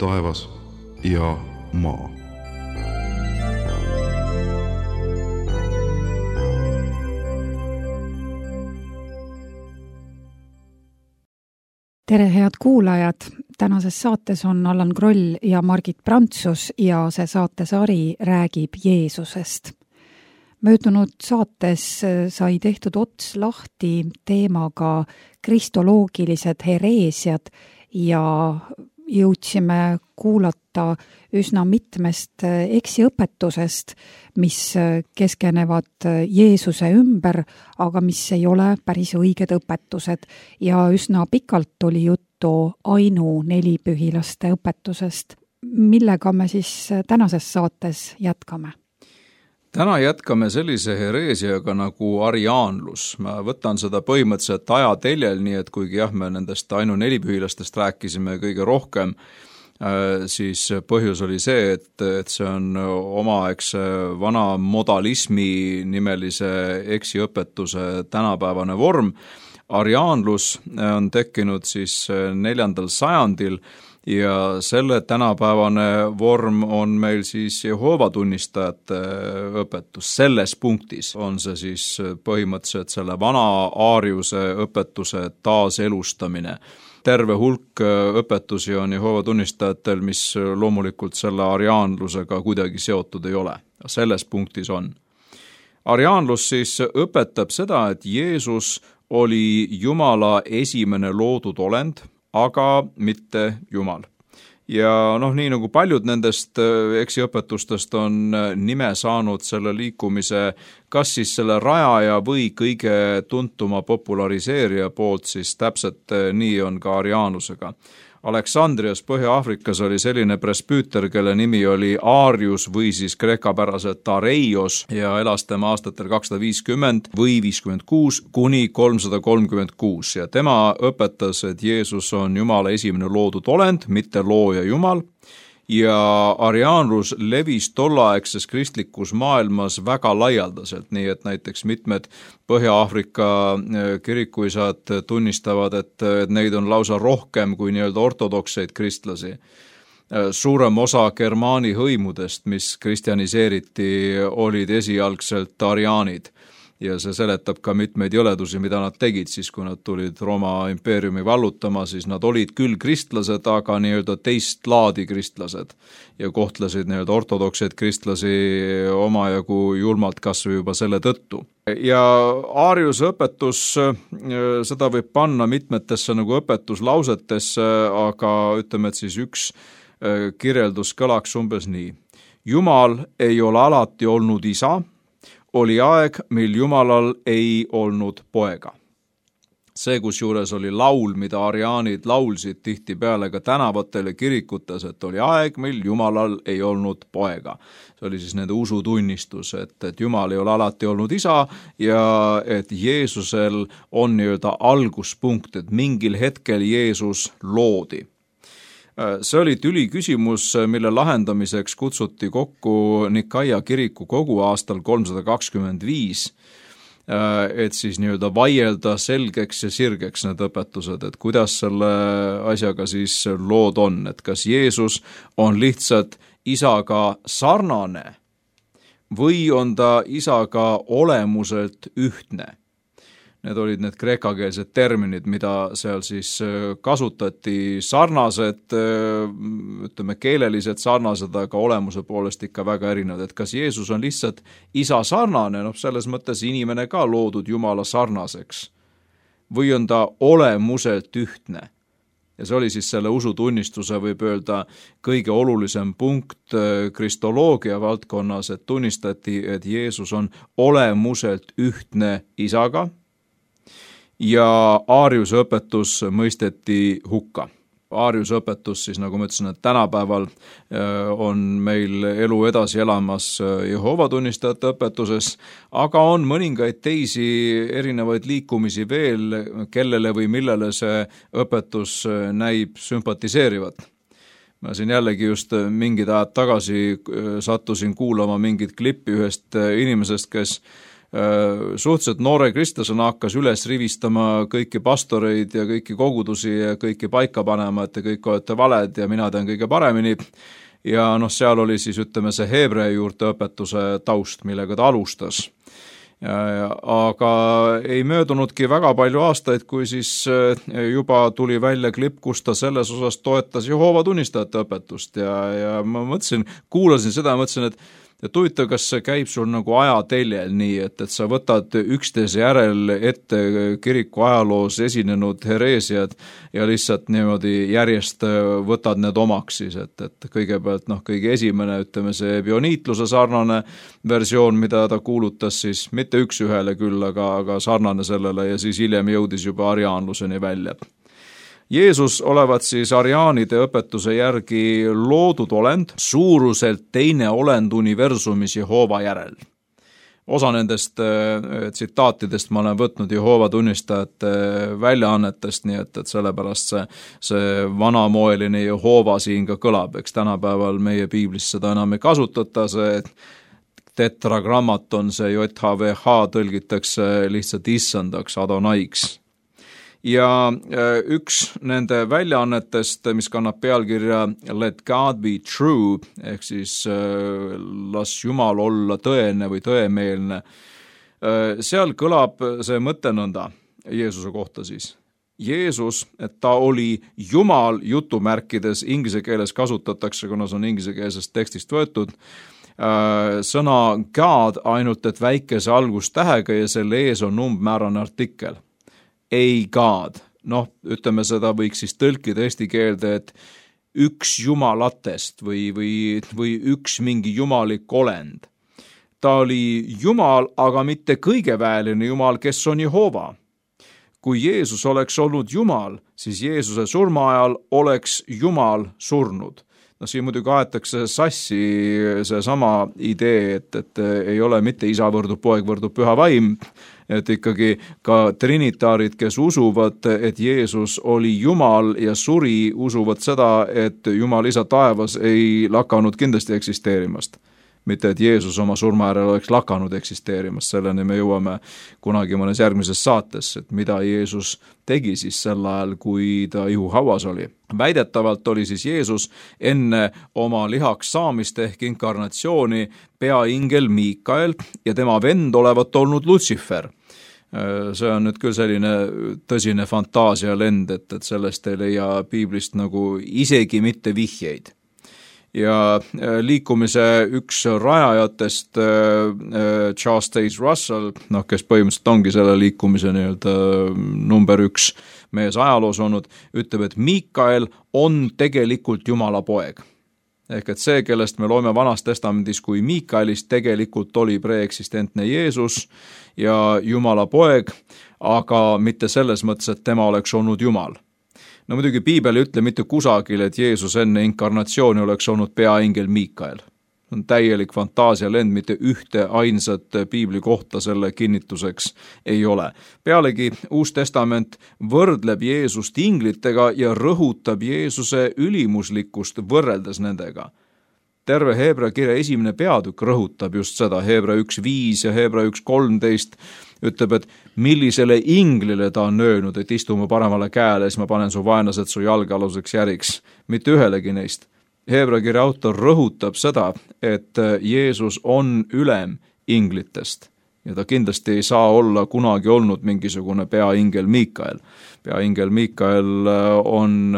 taevas ja maa. Tere, head kuulajad! Tänases saates on Allan Kroll ja Margit Prantsus ja see saatesari räägib Jeesusest. Möödunud saates sai tehtud ots lahti teemaga kristoloogilised hereesiad ja jõudsime kuulata üsna mitmest eksiõpetusest, mis keskenevad Jeesuse ümber, aga mis ei ole päris õiged õpetused ja üsna pikalt oli juttu ainu nelipühilaste õpetusest. Millega me siis tänases saates jätkame? Täna jätkame sellise hereesiaga nagu ariaanlus. Ma võtan seda põhimõtteliselt ajateljel, nii et kuigi me nendest ainu nelipühilastest rääkisime kõige rohkem, siis põhjus oli see, et see on omaaegse vana modalismi nimelise eksiõpetuse tänapäevane vorm. Ariaanlus on tekkinud siis 4. sajandil ja selle tänapäevane vorm on meil siis Jehoova tunnistajate õpetus. Selles punktis on see siis põhimõtteliselt selle vana aariuse õpetuse taaselustamine. Terve hulk õpetusi on Jehoova tunnistajatel, mis loomulikult selle ariaanlusega kuidagi seotud ei ole. Selles punktis on. Ariaanlus siis õpetab seda, et Jeesus oli Jumala esimene loodud olend, aga mitte Jumal. Ja nii nagu paljud nendest eksiõpetustest on nime saanud selle liikumise kas siis selle rajaja või kõige tuntuma populariseerija poolt, siis täpselt nii on ka ariaanlusega. Aleksandrias Põhja-Aafrikas oli selline presbüüter, kelle nimi oli Arius või siis kreekapäraselt Areios ja elas tema aastatel 250 või 56 kuni 336 ja tema õpetas, et Jeesus on Jumala esimene loodud olend, mitte looja Jumal. Ja ariaanlus levis tollaegses kristlikus maailmas väga laialdaselt, nii et näiteks mitmed Põhja-Aafrika kirikuisad tunnistavad, et neid on lausa rohkem kui nii-öelda ortodokseid kristlasi. Suurem osa germaani hõimudest, mis kristjaniseeriti, olid esialgselt ariaanid. Ja see seletab ka mitmeid jõledusi, mida nad tegid siis, kui nad tulid Rooma impeeriumi vallutama, siis nad olid küll kristlased, aga nii-öelda teist laadi kristlased ja kohtlesid nii-öelda ortodokseid kristlasi omajagu julmalt kasvõi juba selle tõttu. Ja Aariuse õpetus, seda võib panna mitmetesse nagu õpetuslausetesse, aga ütleme, et siis üks kirjeldus kõlaks umbes nii. Jumal ei ole alati olnud isa, oli aeg, mil Jumalal ei olnud poega. See, kusjuures oli laul, mida ariaanid laulsid tihtipeale ka tänavatel ja kirikutes, et oli aeg, mil Jumalal ei olnud poega. See oli siis nende usutunnistus, et Jumal ei ole alati olnud isa ja et Jeesusel on nii-öelda alguspunkt, et mingil hetkel Jeesus loodi. See oli tüli küsimus, mille lahendamiseks kutsuti kokku Nikaia kiriku kogu aastal 325, et siis nii-öelda vaielda selgeks ja sirgeks need õpetused, et kuidas selle asjaga siis lood on, et kas Jeesus on lihtsalt isaga sarnane või on ta isaga olemuselt ühtne. Need olid need kreekakeelsed terminid, mida seal siis kasutati, sarnased, ütleme keeleliselt sarnased, aga olemuse poolest ikka väga erinevad. Et kas Jeesus on lihtsalt isa sarnane, selles mõttes inimene ka loodud Jumala sarnaseks, või on ta olemuselt ühtne? Ja see oli siis selle usutunnistuse, võib öelda, kõige olulisem punkt kristoloogia valdkonnas, et tunnistati, et Jeesus on olemuselt ühtne isaga, ja Aariuse õpetus mõisteti hukka. Aariuse õpetus siis, nagu ma ütlesin, et tänapäeval on meil elu edasi elamas Jehoova tunnistajate õpetuses, aga on mõningaid teisi erinevaid liikumisi veel, kellele või millele see õpetus näib sümpatiseerivat. Ma siin jällegi just mingid ajad tagasi sattusin kuulama mingit klippi ühest inimesest, kes suhteliselt noore kristlasena hakkas üles rivistama kõiki pastoreid ja kõiki kogudusi ja kõiki paika panema, et te kõik olete valed ja mina tean kõige paremini. Ja seal oli siis, ütleme, see heebrea juurte õpetuse taust, millega ta alustas. Aga ei möödunudki väga palju aastaid, kui siis juba tuli välja klipp, kus ta selles osas toetas Jehoova tunnistajate õpetust ja ma mõtlesin, kuulasin seda ja mõtlesin, et huvitav, kas see käib sul nagu ajateljel nii, et sa võtad üksteise järel ette kiriku ajaloos esinenud hereesiad ja lihtsalt niimoodi järjest võtad need omaks siis, et kõigepealt kõige esimene, ütleme see bioniitluse sarnane versioon, mida ta kuulutas siis, mitte üks ühele küll, aga sarnane sellele ja siis hiljem jõudis juba ariaanluseni välja. Jeesus olevat siis ariaanide õpetuse järgi loodud olend, suuruselt teine olend universumis Jehoova järel. Osa nendest tsitaatidest ma olen võtnud Jehoova tunnistajate väljaannetest, nii et sellepärast see vanamoeline Jehoova siin ka kõlab, eks tänapäeval meie piiblis seda enam ei kasutata, see tetragrammaton, see JHVH tõlgitakse lihtsalt issandaks, Adonaiks. Ja üks nende väljaannetest, mis kannab pealkirja Let God be true, ehk siis las Jumal olla tõene või tõemeelne, seal kõlab see mõte nõnda Jeesuse kohta siis. Jeesus, et ta oli Jumal jutumärkides, inglise keeles kasutatakse, kuna see on inglisekeelsest tekstist võetud, sõna God ainult, et väikese algustähega ja selle ees on umbmäärane artikkel. Ei God. Ütleme seda võiks siis tõlkida eesti keelde, et üks jumalatest või üks mingi jumalik olend. Ta oli Jumal, aga mitte kõigeväeline Jumal, kes on Jehoova. Kui Jeesus oleks olnud Jumal, siis Jeesuse surma ajal oleks Jumal surnud. Siin muidugi aetakse sassi see sama idee, et ei ole mitte isa võrdub poeg võrdub püha vaim, et ikkagi ka trinitaarid, kes usuvad, et Jeesus oli Jumal ja suri, usuvad seda, et Jumal isa taevas ei lakanud kindlasti eksisteerimast. Mitte, et Jeesus oma surma järel oleks lakanud eksisteerimast, selleni me jõuame kunagi mõnes järgmises saates, et mida Jeesus tegi siis sel ajal, kui ta ihuhauas oli. Väidetavalt oli siis Jeesus enne oma lihaks saamist ehk inkarnatsiooni peaingel Miikael ja tema vend olevat olnud Lutsifer. See on nüüd küll selline tõsine fantaasialend, et sellest ei leia piiblist nagu isegi mitte vihjeid. Ja liikumise üks rajajatest, Charles Taze Russell, kes põhimõtteliselt ongi selle liikumise number 1 mees ajaloos olnud, ütleb, et Miikael on tegelikult Jumala poeg. Ehk et see, kellest me loeme Vanas Testamendis kui Miikaelist, tegelikult oli preeksistentne Jeesus ja Jumala poeg, aga mitte selles mõttes, et tema oleks olnud Jumal. Muidugi piibel ei ütle mitte kusagil, et Jeesus enne inkarnatsiooni oleks olnud peaingel Miikael. On täielik fantaasialend, mitte ühte ainsat piibli kohta selle kinnituseks ei ole. Pealegi Uus Testament võrdleb Jeesust inglitega ja rõhutab Jeesuse ülimuslikkust võrreldes nendega. Terve Heebrea kirja esimene peatükk rõhutab just seda, Heebrea 1.5 ja Heebrea 1.13 ütleb, et millisele inglile ta on öelnud, et istu mu paremale käele, siis ma panen su vaenlased su jalgealuseks järiks. Mitte ühelegi neist. Heebrea kirja autor rõhutab seda, et Jeesus on ülem inglitest ja ta kindlasti ei saa olla kunagi olnud mingisugune peaingel Miikael. Peaingel Miikael on,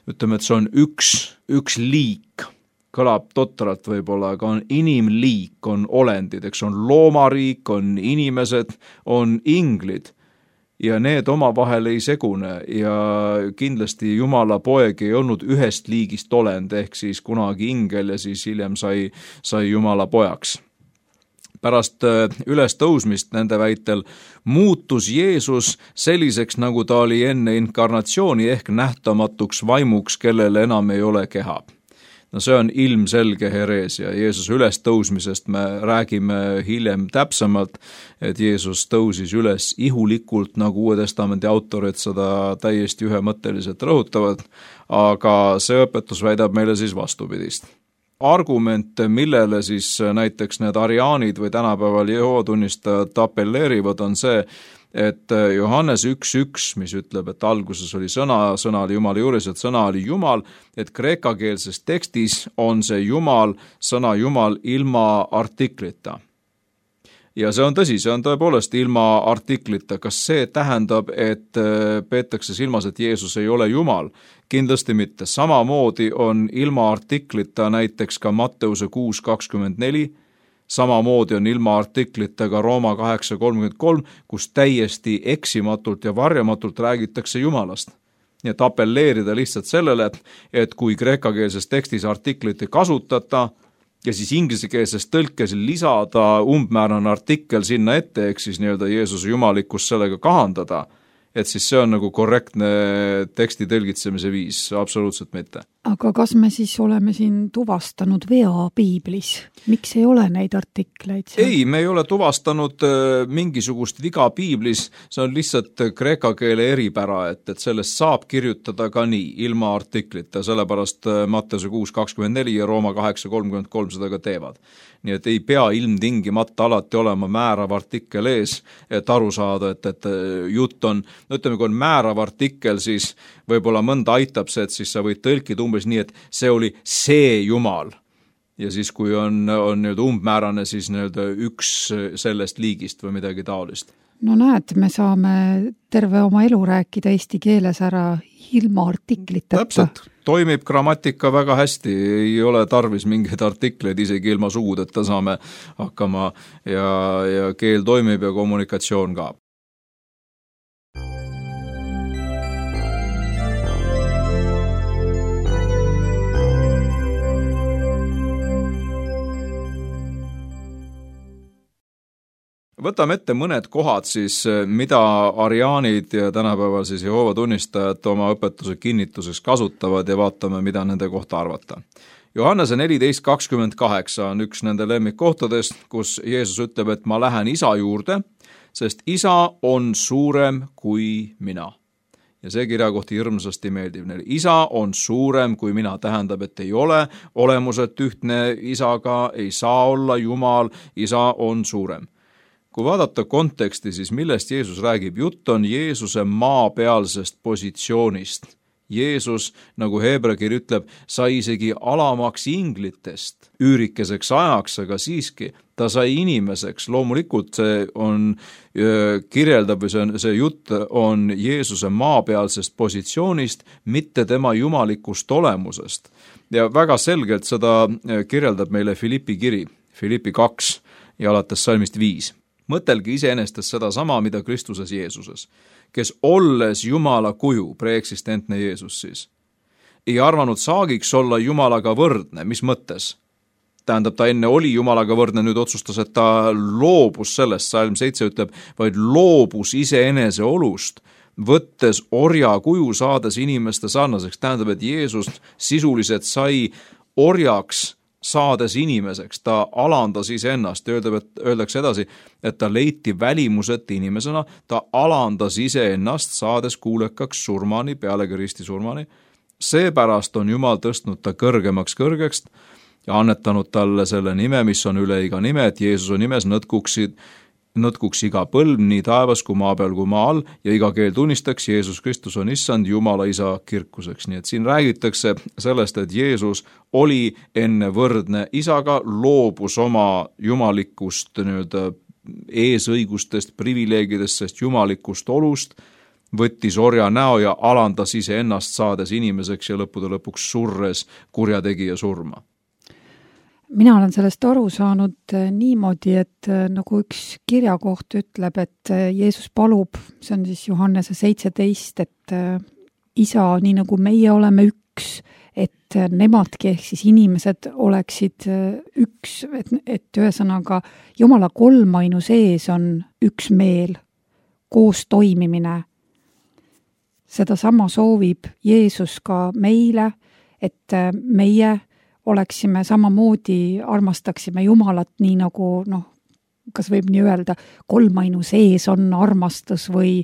ütleme, et see on üks liik. Kõlab totralt võib-olla, aga on inimliik, on olendid, eks on loomariik, on inimesed, on inglid ja need omavahel ei segune ja kindlasti Jumala poeg ei olnud ühest liigist olend, ehk siis kunagi ingel ja siis hiljem sai Jumala pojaks. Pärast ülestõusmist nende väitel muutus Jeesus selliseks, nagu ta oli enne inkarnatsiooni ehk nähtamatuks vaimuks, kellele enam ei ole keha. See on ilmselge hereesia. Jeesuse ülestõusmisest me räägime hiljem täpsemalt, et Jeesus tõusis üles ihulikult, nagu Uue Testamendi autorid seda täiesti ühemõtteliselt rõhutavad, aga see õpetus väidab meile siis vastupidist. argument, millele siis näiteks need ariaanid või tänapäeval Jehoova tunnistajad apelleerivad, on see, et Johannes 1.1, mis ütleb, et alguses oli sõna, sõna oli Jumala juures, et sõna oli Jumal, et kreekakeelses tekstis on see Jumal, sõna Jumal ilma artiklita. Ja see on tõsi, see on tõepoolest ilma artiklita. Kas see tähendab, et peetakse silmas, et Jeesus ei ole Jumal? Kindlasti mitte. Samamoodi on ilma artiklita näiteks ka Matteuse 6.24, samamoodi on ilma artiklita ka Rooma 8.33, kus täiesti eksimatult ja varjamatult räägitakse Jumalast. Nii et apelleerida lihtsalt sellele, et kui kreekakeelses tekstis artiklit ei kasutata, ja siis ingliskeelses tõlkes lisada umbmäärane artikkel sinna ette, ehk siis nii-öelda Jeesuse jumalikkust sellega kahandada, et siis see on nagu korrektne teksti tõlgitsemise viis, absoluutselt mitte. Aga kas me siis oleme siin tuvastanud vea piiblis? Miks ei ole neid artikleid? Ei, me ei ole tuvastanud mingisugust viga piiblis, see on lihtsalt kreeka keele eripära, et sellest saab kirjutada ka nii, ilma artiklita, sellepärast Matteuse 6.24 ja Rooma 8.33 seda ka teevad. Nii et ei pea ilmtingimata alati olema määrav artikkel ees, et aru saada, et jutt on, ütleme, kui on määrav artikkel, siis võib-olla mõnda aitab see, et siis sa võid tõlkida umbes nii, et see oli see Jumal. Ja siis kui on nii-öelda umbmäärane, siis nii-öelda üks sellest liigist või midagi taolist. No näed, me saame terve oma elu rääkida eesti keeles ära ilma artikliteta. Täpselt, toimib grammatika väga hästi, ei ole tarvis mingeid artikleid, isegi ilma sugudeta saame hakkama ja keel toimib ja kommunikatsioon ka. Võtame ette mõned kohad siis, mida ariaanid ja tänapäeval siis Jehoova tunnistajad oma õpetuse kinnituseks kasutavad ja vaatame, mida nende kohta arvata. Johannese 14.28 on üks nende lemmikkohtadest, kus Jeesus ütleb, et ma lähen isa juurde, sest isa on suurem kui mina. Ja see kirjakohti hirmsasti meeldib neile. Isa on suurem kui mina, tähendab, et ei ole olemuselt ühtne isaga, ei saa olla Jumal, isa on suurem. Kui vaadata konteksti, siis millest Jeesus räägib? Jutt on Jeesuse maapealsest positsioonist. Jeesus, nagu Heebrekir ütleb, sai isegi alamaks inglitest üürikeseks ajaks, aga siiski ta sai inimeseks. Loomulikult see on kirjeldab või see jutt on Jeesuse maapealsest positsioonist, mitte tema jumalikust olemusest. Ja väga selgelt seda kirjeldab meile Filippi kiri, Filippi 2 ja alates salmist 5. Mõtelge iseenestes seda sama, mida Kristuses Jeesuses, kes olles Jumala kuju, preeksistentne Jeesus siis, ei arvanud saagiks olla Jumalaga võrdne, mis mõttes? Tähendab, ta enne oli Jumalaga võrdne, nüüd otsustas, et ta loobus sellest, salm 7 ütleb, vaid loobus iseenese olust, võttes orja kuju saades inimeste sarnaseks. Tähendab, et Jeesus sisuliselt sai orjaks saades inimeseks, ta alandas iseennast, öeldakse edasi, et ta leiti välimuset inimesena, ta alandas iseennast, saades kuulekaks surmani, pealegi risti surmani. Seepärast on Jumal tõstnud ta kõrgemaks kõrgekst ja annetanud talle selle nime, mis on üle iga nime, et Jeesuse nimes nõtkuks iga põlv, nii taevas kui maa peal kui maa all, ja iga keel tunnistaks, Jeesus Kristus on issand Jumala isa kirkuseks. Nii et siin räägitakse sellest, et Jeesus oli enne võrdne isaga, loobus oma jumalikust eesõigustest, privileegidest, sest jumalikust olust, võttis orja näo ja alandas iseennast saades inimeseks ja lõppude lõpuks surres kurjategija surma. Mina olen sellest aru saanud niimoodi, et nagu üks kirjakoht ütleb, et Jeesus palub, see on siis Johannese 17, et isa, nii nagu meie oleme üks, et nemadki ehk siis inimesed oleksid üks, et ühesõnaga Jumala kolmainu sees on üks meel, koos toimimine. Seda sama soovib Jeesus ka meile, et meie oleksime samamoodi, armastaksime Jumalat nii nagu, kas võib nii öelda, kolmainu sees on armastus või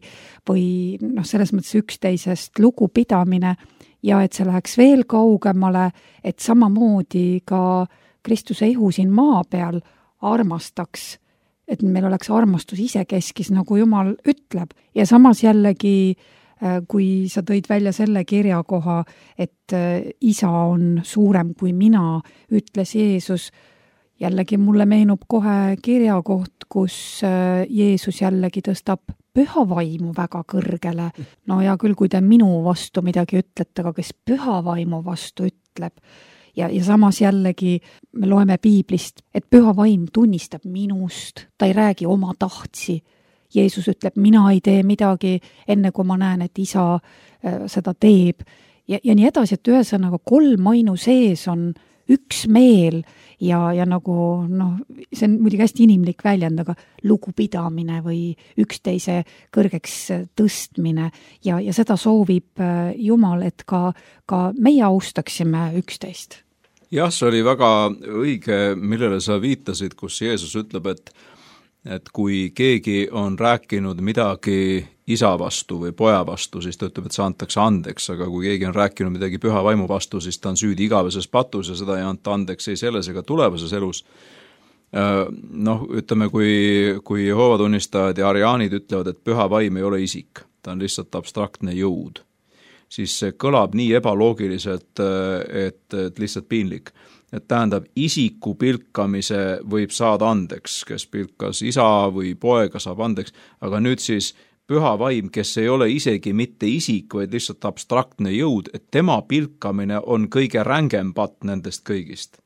selles mõttes üksteisest lugupidamine ja et see läheks veel kaugemale, et samamoodi ka Kristuse ihu siin maa peal armastaks, et meil oleks armastus isekeskis, nagu Jumal ütleb. Ja samas jällegi, kui sa tõid välja selle kirjakoha, et isa on suurem kui mina, ütles Jeesus, jällegi mulle meenub kohe kirjakoht, kus Jeesus jällegi tõstab püha vaimu väga kõrgele. No ja küll, kui te minu vastu midagi ütlete, aga kes püha vaimu vastu ütleb. Ja samas jällegi me loeme piiblist, et püha vaim tunnistab minust, ta ei räägi oma tahtsi. Jeesus ütleb, mina ei tee midagi enne, kui ma näen, et isa seda teeb. Ja nii edasi, et ühesõnaga 3 ainu sees on üks meel ja nagu, see on muidugi hästi inimlik väljend, aga lugupidamine või üksteise kõrgeks tõstmine ja seda soovib Jumal, et ka meie austaksime üksteist. Jah, see oli väga õige, millele sa viitasid, kus Jeesus ütleb, et kui keegi on rääkinud midagi isa vastu või poja vastu, siis ta ütleb, et see antakse andeks, aga kui keegi on rääkinud midagi püha vaimu vastu, siis ta on süüdi igaveses patus ja seda ei anta andeks ei selles ega tulevases elus. Ütleme, kui Jehoova tunnistajad ja ariaanid ütlevad, et püha vaim ei ole isik, ta on lihtsalt abstraktne jõud, siis see kõlab nii ebaloogiliselt, et lihtsalt piinlik. Et tähendab, isiku pilkamise võib saada andeks, kes pilkas isa või poega saab andeks, aga nüüd siis püha vaim, kes ei ole isegi mitte isik, vaid lihtsalt abstraktne jõud, et tema pilkamine on kõige rängem patt nendest kõigist.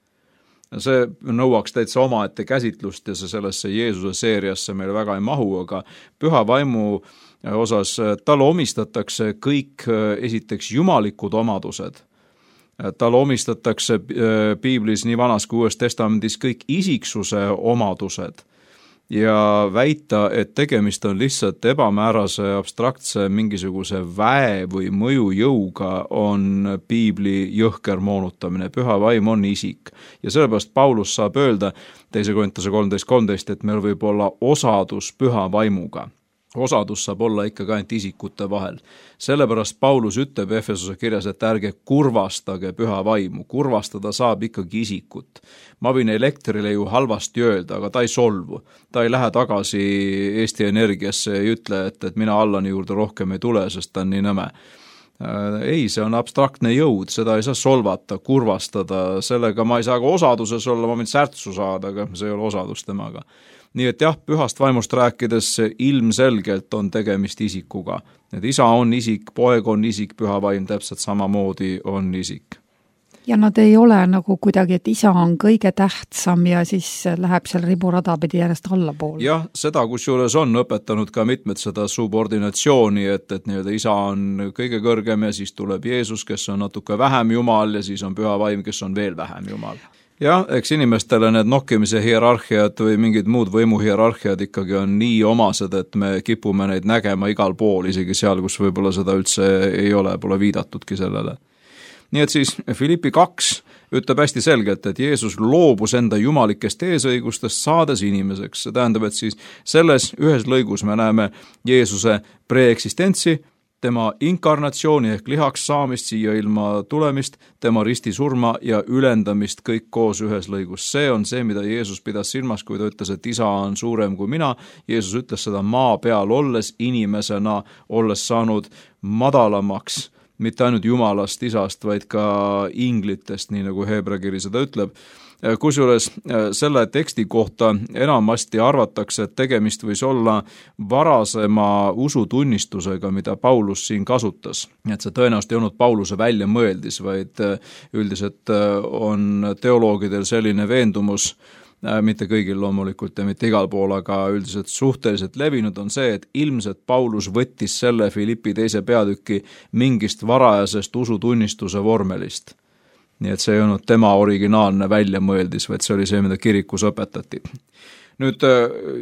See nõuaks täitsa omaette käsitlust ja see sellesse Jeesuse seeriasse meil väga ei mahu, aga püha vaimu osas talle omistatakse kõik esiteks jumalikud omadused. Talle omistatakse piiblis nii Vanas kui Uues Testamendis kõik isiksuse omadused ja väita, et tegemist on lihtsalt ebamäärase, abstraktse mingisuguse väe või mõjujõuga, on piibli jõhker moonutamine. Püha vaim on isik ja sellepärast Paulus saab öelda 2. Korintuse 13:13, et meil võib olla osadus püha vaimuga. Osadus saab olla ikkagi ainult isikute vahel. Sellepärast Paulus ütleb Efesose kirjas, et ärge kurvastage püha vaimu. Kurvastada saab ikkagi isikut. Ma võin elektrile ju halvasti öelda, aga ta ei solvu. Ta ei lähe tagasi Eesti Energiasse ja ütle, et mina Allani juurde rohkem ei tule, sest ta on nii nõme. Ei, see on abstraktne jõud, seda ei saa solvata, kurvastada, sellega ma ei saa ka osaduses olla, ma võin särtsu saada, aga see ei ole osadus temaga. Nii et jah, pühast vaimust rääkides ilmselgelt on tegemist isikuga. Et isa on isik, poeg on isik, püha vaim täpselt samamoodi on isik. Ja nad ei ole nagu kuidagi, et isa on kõige tähtsam ja siis läheb seal riburada pidi järjest allapoole. Jah, seda kusjuures on õpetanud ka mitmed seda subordinatsiooni, et nii-öelda isa on kõige kõrgem ja siis tuleb Jeesus, kes on natuke vähem Jumal ja siis on püha vaim, kes on veel vähem Jumal. Jah, eks inimestele need nokkimise hierarhiad või mingid muud võimuhierarhiad ikkagi on nii omased, et me kipume neid nägema igal pool, isegi seal, kus võib-olla seda üldse ei ole, pole viidatudki sellele. Nii et siis Filippi 2 ütleb hästi selgelt, et Jeesus loobus enda jumalikest eesõigustest saades inimeseks. See tähendab, et siis selles ühes lõigus me näeme Jeesuse preeksistentsi, tema inkarnatsiooni ehk lihaks saamist siia ilma tulemist, tema ristisurma ja ülendamist kõik koos ühes lõigus. See on see, mida Jeesus pidas silmas, kui ta ütles, et isa on suurem kui mina. Jeesus ütles seda maa peal olles, inimesena olles saanud madalamaks, mitte ainult Jumalast, isast, vaid ka inglitest, nii nagu Heebrea kiri seda ütleb. Kusjuures selle teksti kohta enamasti arvatakse, et tegemist võis olla varasema usutunnistusega, mida Paulus siin kasutas. Et see tõenäoliselt ei olnud Pauluse väljamõeldis, vaid üldiselt on teoloogidel selline veendumus, mitte kõigil loomulikult ja mitte igal pool, aga üldiselt suhteliselt levinud on see, et ilmselt Paulus võttis selle Filippi 2. peatüki mingist varajasest usutunnistuse vormelist. Nii et see ei olnud tema originaalne väljamõeldis, vaid see oli see, mida kirikus õpetati. Nüüd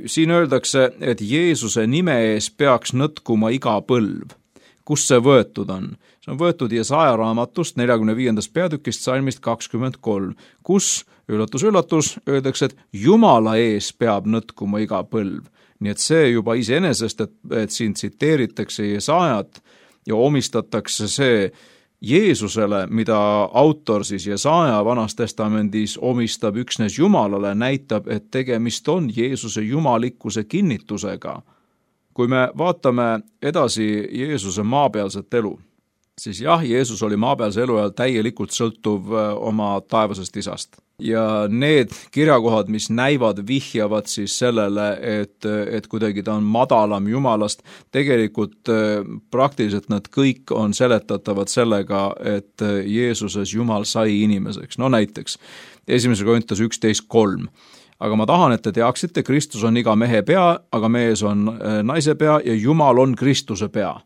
siin öeldakse, et Jeesuse nime ees peaks nõtkuma iga põlv. Kus see võetud on? See on võetud Jesaja raamatust 45. peatükist salmist 23, kus, üllatus, öeldakse, et Jumala ees peab nõtkuma iga põlv. Nii et see juba iseenesest, et siin tsiteeritakse Jesajat ja omistatakse see Jeesusele, mida autor siis Jesaja Vanas Testamendis omistab üksnes Jumalale, näitab, et tegemist on Jeesuse jumalikkuse kinnitusega. Kui me vaatame edasi Jeesuse maapealset elu, siis jah, Jeesus oli maapealse elu ajal täielikult sõltuv oma taevasest isast. Ja need kirjakohad, mis näivad, vihjavad siis sellele, et kuidagi ta on madalam Jumalast, tegelikult praktiliselt nad kõik on seletatavad sellega, et Jeesuses Jumal sai inimeseks. No näiteks 1. Korintus 11:3. Aga ma tahan, et te teaksite, Kristus on iga mehe pea, aga mees on naise pea ja Jumal on Kristuse pea.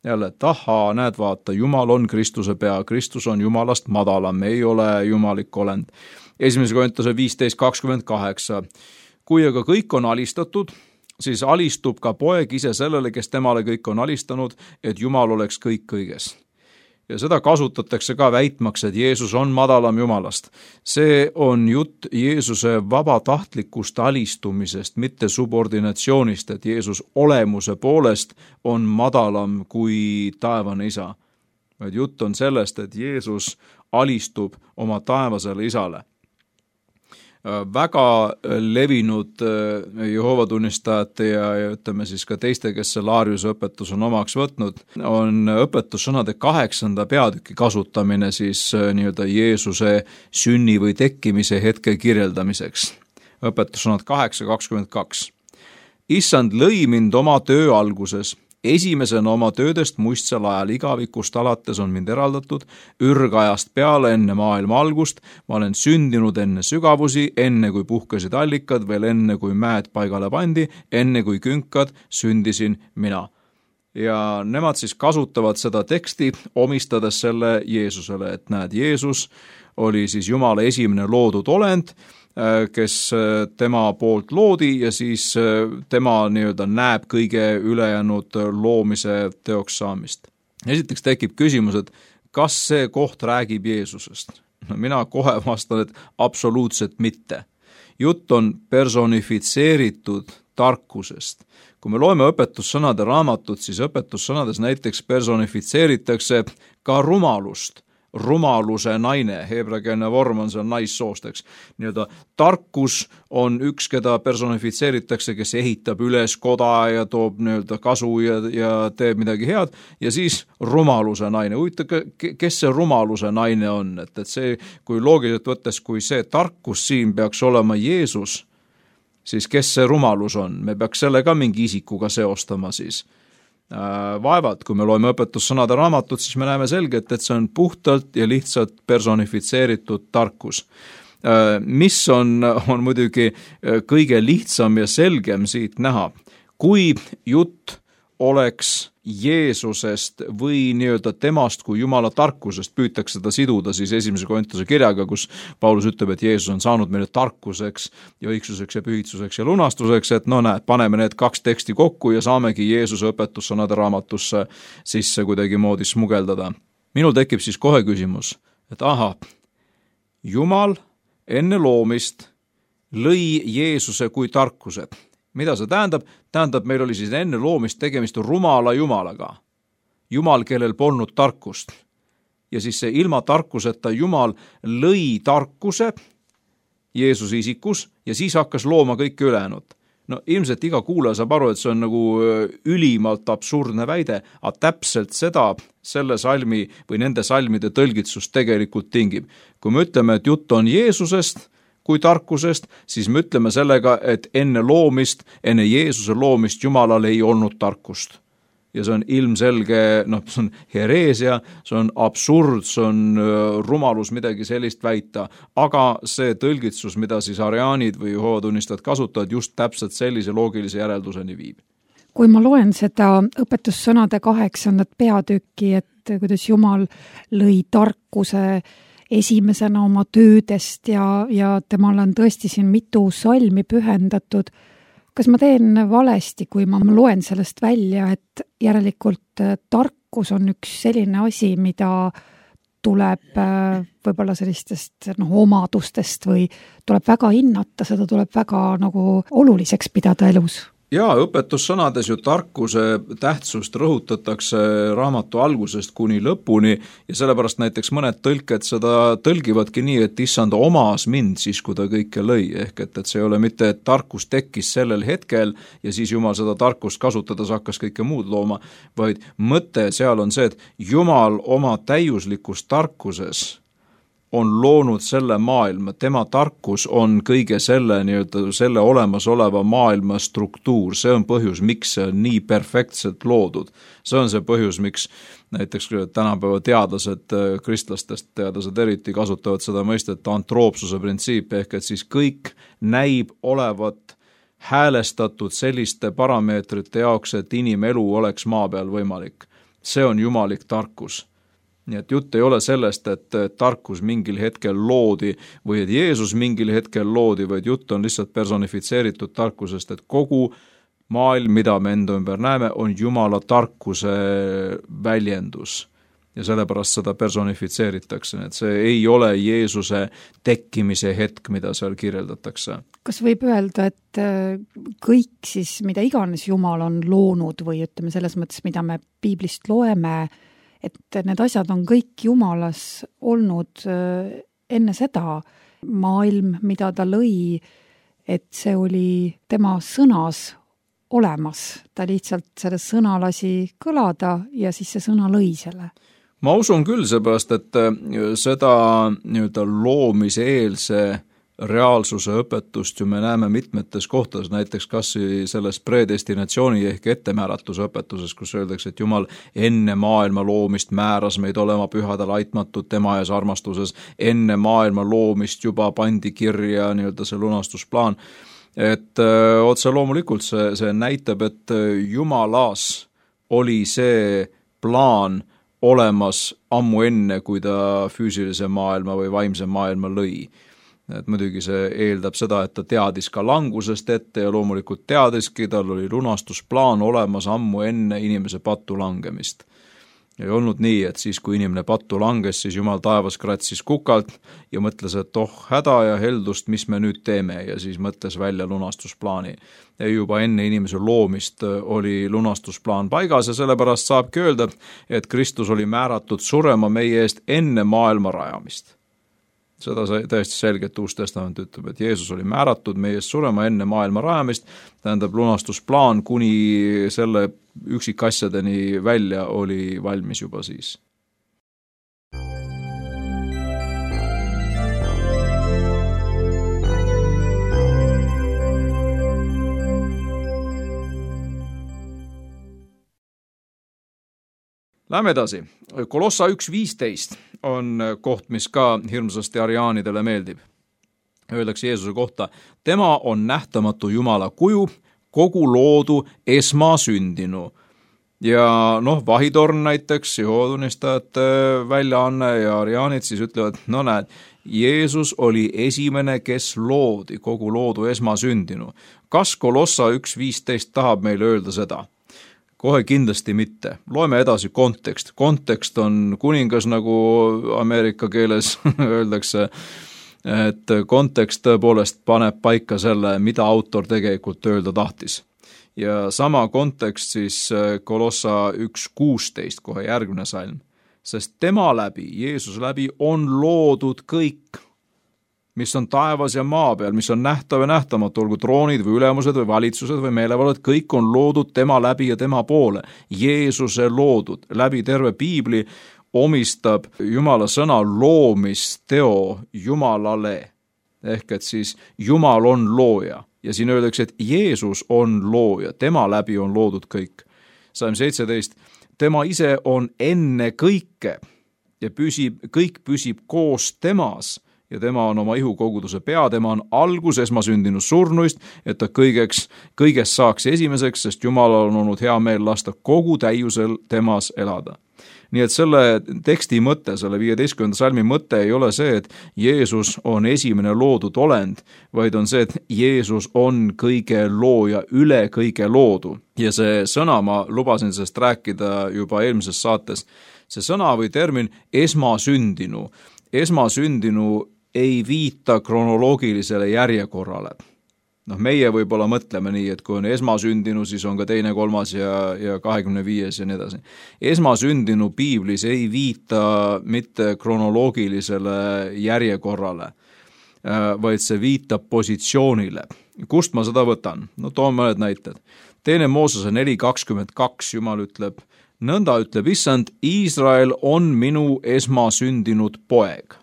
Jälle, et ahaa, näed vaata, Jumal on Kristuse pea, Kristus on Jumalast madalam, ei ole jumalik olend. 1. Korintuse 15:28. Kui aga kõik on alistatud, siis alistub ka poeg ise sellele, kes temale kõik on alistanud, et Jumal oleks kõik kõiges. Ja seda kasutatakse ka väitmaks, et Jeesus on madalam Jumalast. See on jutt Jeesuse vabatahtlikust alistumisest, mitte subordinatsioonist, et Jeesus olemuse poolest on madalam kui taevane isa. Vaid jutt on sellest, et Jeesus alistub oma taevasele isale. Väga levinud Jehoova tunnistajate ja ütleme siis ka teiste, kes selle Ariuse õpetus on omaks võtnud, on õpetussõnade 8. peatüki kasutamine siis nii-öelda Jeesuse sünni või tekkimise hetke kirjeldamiseks. Õpetussõnad 8:22. Issand lõi mind oma töö alguses. Esimesena oma töödest muistsel ajal igavikust alates on mind eraldatud, ürgajast peale enne maailma algust, ma olen sündinud enne sügavusi, enne kui puhkesid allikad, veel enne kui mäed paigale pandi, enne kui künkad, sündisin mina. Ja nemad siis kasutavad seda teksti, omistades selle Jeesusele, et näed, Jeesus oli siis Jumala esimene loodud olend, kes tema poolt loodi ja siis tema nii-öelda näeb kõige ülejäänud loomise teoks saamist. Esiteks tekib küsimus, et kas see koht räägib Jeesusest? No mina kohe vastan, et absoluutselt mitte. Jutt on personifitseeritud tarkusest. Kui me loeme õpetussõnade raamatut, siis õpetussõnades näiteks personifitseeritakse ka rumalust. Rumaluse naine, heebreakeelne vorm on seal naissoost, eks. Nii-öelda tarkus on üks, keda personifitseeritakse, kes ehitab üles koda ja toob nii-öelda kasu ja teeb midagi head, ja siis rumaluse naine. Kes see rumaluse naine on? Et see, kui loogiliselt võttes, kui see tarkus siin peaks olema Jeesus, siis kes see rumalus on? Me peaks selle ka mingi isikuga seostama siis. Vaevalt, kui me loeme õpetussõnade raamatut, siis me näeme selgelt, et see on puhtalt ja lihtsalt personifitseeritud tarkus. Mis on muidugi kõige lihtsam ja selgem siit näha. Kui jutt oleks Jeesusest või nii-öelda temast kui Jumala tarkusest, püütakse seda siduda siis 1. Korintuse kirjaga, kus Paulus ütleb, et Jeesus on saanud meile tarkuseks ja õigsuseks ja pühitsuseks ja lunastuseks, et no näed, paneme need kaks teksti kokku ja saamegi Jeesuse õpetussõnade raamatusse sisse kuidagimoodi smugeldada. Minul tekib siis kohe küsimus, et aha, Jumal enne loomist lõi Jeesuse kui tarkuse. Mida see tähendab? Tähendab, meil oli siis enne loomist tegemist rumala Jumalaga. Jumal, kellel polnud tarkust. Ja siis see ilma tarkuseta Jumal lõi tarkuse Jeesuse isikus ja siis hakkas looma kõike ülejäänud. No ilmselt iga kuulaja saab aru, et see on nagu ülimalt absurdne väide, aga täpselt seda selle salmi või nende salmide tõlgitsus tegelikult tingib. Kui me ütleme, et jutt on Jeesusest kui tarkusest, siis me ütleme sellega, et enne loomist, enne Jeesuse loomist Jumalal ei olnud tarkust. Ja see on ilmselge, see on hereesia, see on absurd, see on rumalus midagi sellist väita, aga see tõlgitsus, mida siis ariaanid või Jehoova tunnistajad kasutavad, just täpselt sellise loogilise järelduseni viib. Kui ma loen seda õpetussõnade 8. peatükki, et kuidas Jumal lõi tarkuse esimesena oma töödest ja temal on tõesti siin mitu salmi pühendatud. Kas ma teen valesti, kui ma loen sellest välja, et järelikult tarkus on üks selline asi, mida tuleb võib-olla sellistest omadustest või tuleb väga hinnata, seda tuleb väga nagu oluliseks pidada elus? Jaa, õpetussõnades ju tarkuse tähtsust rõhutatakse raamatu algusest kuni lõpuni ja sellepärast näiteks mõned tõlked seda tõlgivadki nii, et issand omas mind siis, kui ta kõike lõi, ehk et see ei ole mitte, et tarkus tekkis sellel hetkel ja siis Jumal seda tarkust kasutades hakkas kõike muud looma, vaid mõte seal on see, et Jumal oma täiuslikus tarkuses on loonud selle maailma, tema tarkus on kõige selle, selle olemasoleva maailma struktuur, see on põhjus, miks see on nii perfektselt loodud. See on see põhjus, miks näiteks tänapäeva teadlased, kristlastest teadlased eriti kasutavad seda mõistet antroopsuse printsiip, ehk et siis kõik näib olevat häälestatud selliste parameetrite jaoks, et inimelu oleks maa peal võimalik. See on jumalik tarkus. Nii et jutt ei ole sellest, et tarkus mingil hetkel loodi või et Jeesus mingil hetkel loodi, vaid jutt on lihtsalt personifitseeritud tarkusest, et kogu maailm, mida me enda ümber näeme, on Jumala tarkuse väljendus. Ja sellepärast seda personifitseeritakse, et see ei ole Jeesuse tekkimise hetk, mida seal kirjeldatakse. Kas võib öelda, et kõik siis, mida iganes Jumal on loonud või ütleme selles mõttes, mida me piiblist loeme, et need asjad on kõik Jumalas olnud enne seda maailm, mida ta lõi, et see oli tema sõnas olemas. Ta lihtsalt selle sõna lasi kõlada ja siis see sõna lõi selle. Ma usun küll seepärast, et seda loomiseelse reaalsuse õpetust ju me näeme mitmetes kohtades, näiteks kas selles predestinatsiooni ehk ettemääratuse õpetuses, kus öeldakse, et Jumal enne maailma loomist määras meid olema pühadel aitmatud tema ees armastuses, enne maailma loomist juba pandi kirja see lunastusplaan, et otse loomulikult see näitab, et Jumalas oli see plaan olemas ammu enne, kui ta füüsilise maailma või vaimse maailma lõi. Et muidugi see eeldab seda, et ta teadis ka langusest ette ja loomulikult teadiski, tal oli lunastusplaan olemas ammu enne inimese pattu langemist. Ei olnud nii, et siis, kui inimene pattu langes, siis Jumal taevas kratsis kukalt ja mõtles, et häda ja heldust, mis me nüüd teeme, ja siis mõtles välja lunastusplaani. Ja juba enne inimese loomist oli lunastusplaan paigas ja sellepärast saabki öelda, et Kristus oli määratud surema meie eest enne maailma rajamist. Seda täiesti selgelt Uus Testament ütleb, et Jeesus oli määratud meie eest surema enne maailma rajamist, tähendab lunastusplaan kuni selle üksikasjadeni välja oli valmis juba siis. Läheme edasi. Kolossa 1.15 on koht, mis ka hirmsasti ariaanidele meeldib. Öeldakse Jeesuse kohta, tema on nähtamatu Jumala kuju, kogu loodu esmasündinu. Ja Vahitorn näiteks, Jehoovatunistajate väljaanne ja ariaanid siis ütlevad, näed, Jeesus oli esimene, kes loodi, kogu loodu esmasündinu. Kas Kolossa 1.15 tahab meile öelda seda? Kohe kindlasti mitte. Loeme edasi kontekst. Kontekst on kuningas, nagu Ameerika keeles öeldakse, et kontekst tõepoolest paneb paika selle, mida autor tegelikult öelda tahtis. Ja sama kontekst siis Kolossa 1.16, kohe järgmine salm. Sest tema läbi, Jeesus läbi on loodud kõik, mis on taevas ja maa peal, mis on nähtav ja nähtamatu, olgu troonid või ülemused või valitsused või meelevaldad, kõik on loodud tema läbi ja tema poole. Jeesuse loodud. Läbi terve piibli omistab Jumala sõna loomisteo Jumalale. Ehk et siis Jumal on looja. Ja siin öeldakse, et Jeesus on looja. Tema läbi on loodud kõik. Salm 17. Tema ise on enne kõike ja kõik püsib koos temas. Ja tema on oma ihukoguduse pea, tema on algus esmasündinu surnuist, et ta kõigest saaks esimeseks, sest Jumalal on olnud hea meel lasta kogu täiusel temas elada. Nii et selle teksti mõte, selle 15. salmi mõte ei ole see, et Jeesus on esimene loodud olend, vaid on see, et Jeesus on kõige looja üle kõige loodu. Ja see sõna, ma lubasin sellest rääkida juba eelmises saates, see sõna või termin esmasündinu ei viita kronoloogilisele järjekorrale. Meie võib-olla mõtleme nii, et kui on esmasündinu, siis on ka teine, kolmas ja 25 ja nii edasi. Esmasündinu piiblis ei viita mitte kronoloogilisele järjekorrale, vaid see viitab positsioonile. Kust ma seda võtan? Toon mõned näited. 2. Moosese 4.22 Jumal ütleb, nõnda ütleb issand, Iisrael on minu esmasündinud poeg.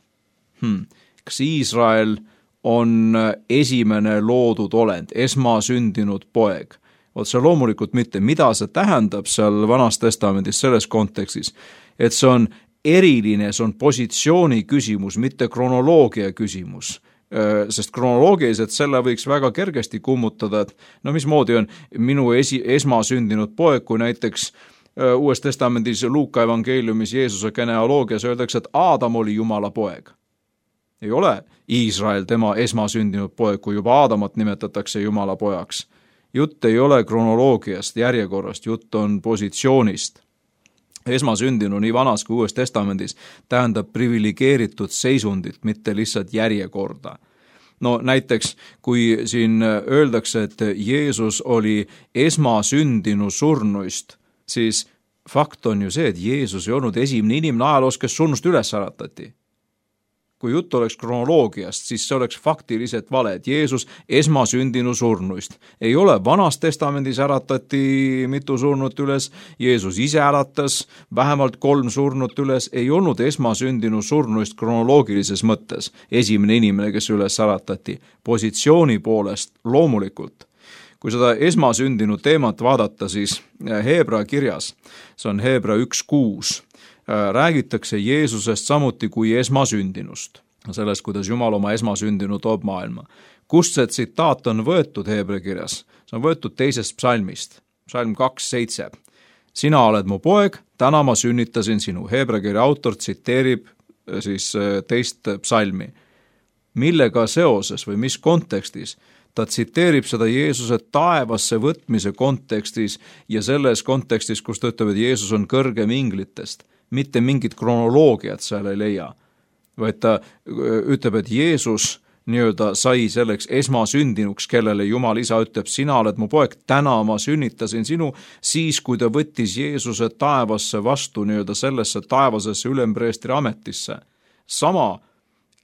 Kas Iisrael on esimene loodud olend, esmasündinud poeg? See loomulikult mitte. Mida see tähendab seal Vanas Testamendis selles kontekstis? Et see on eriline, see on positsiooni küsimus, mitte kronoloogia küsimus. Sest kronoloogiliselt selle võiks väga kergesti kummutada, et mismoodi on minu esmasündinud poeg, kui näiteks Uues Testamendis Luuka evangeeliumis Jeesuse genealoogias öeldakse, et Aadam oli Jumala poeg. Ei ole Iisrael tema esmasündinud poeg, kui juba Aadamat nimetatakse Jumala pojaks. Jutt ei ole kronoloogiast, järjekorrast, jutt on positsioonist. Esmasündinu nii Vanas kui Uues Testamendis tähendab privilegeeritud seisundit, mitte lihtsalt järjekorda. Näiteks, kui siin öeldakse, et Jeesus oli esmasündinu surnuist, siis fakt on ju see, et Jeesus ei olnud esimene inimene ajaloos, kes surnust üles äratati. Kui jutt oleks kronoloogiast, siis see oleks faktiliselt vale, et Jeesus esmasündinu surnuist. Ei ole, Vanas Testamendis äratati mitu surnut üles, Jeesus ise äratas vähemalt 3 surnut üles, ei olnud esmasündinu surnuist kronoloogilises mõttes esimene inimene, kes üles äratati. Positsiooni poolest loomulikult. Kui seda esmasündinu teemat vaadata, siis Heebra kirjas, see on Heebra 1.6, räägitakse Jeesusest samuti kui esmasündinust, sellest, kuidas Jumal oma esmasündinu toob maailma. Kust see tsitaat on võetud Heebra kirjas? See on võetud 2. psalmist, psalm 2.7. Sina oled mu poeg, täna ma sünnitasin sinu. Heebra kirja autor tsiteerib siis 2. psalmi. Millega seoses või mis kontekstis? Ta tsiteerib seda Jeesuse taevasse võtmise kontekstis ja selles kontekstis, kus ta ütleb, et Jeesus on kõrgem inglitest. Mitte mingit kronoloogiat seal ei leia, vaid ta ütleb, et Jeesus sai selleks esmasündinuks, kellele Jumal isa ütleb, sina oled mu poeg, täna ma sünnitasin sinu, siis kui ta võttis Jeesuse taevasse vastu sellesse taevasesse ülempreestri ametisse. Sama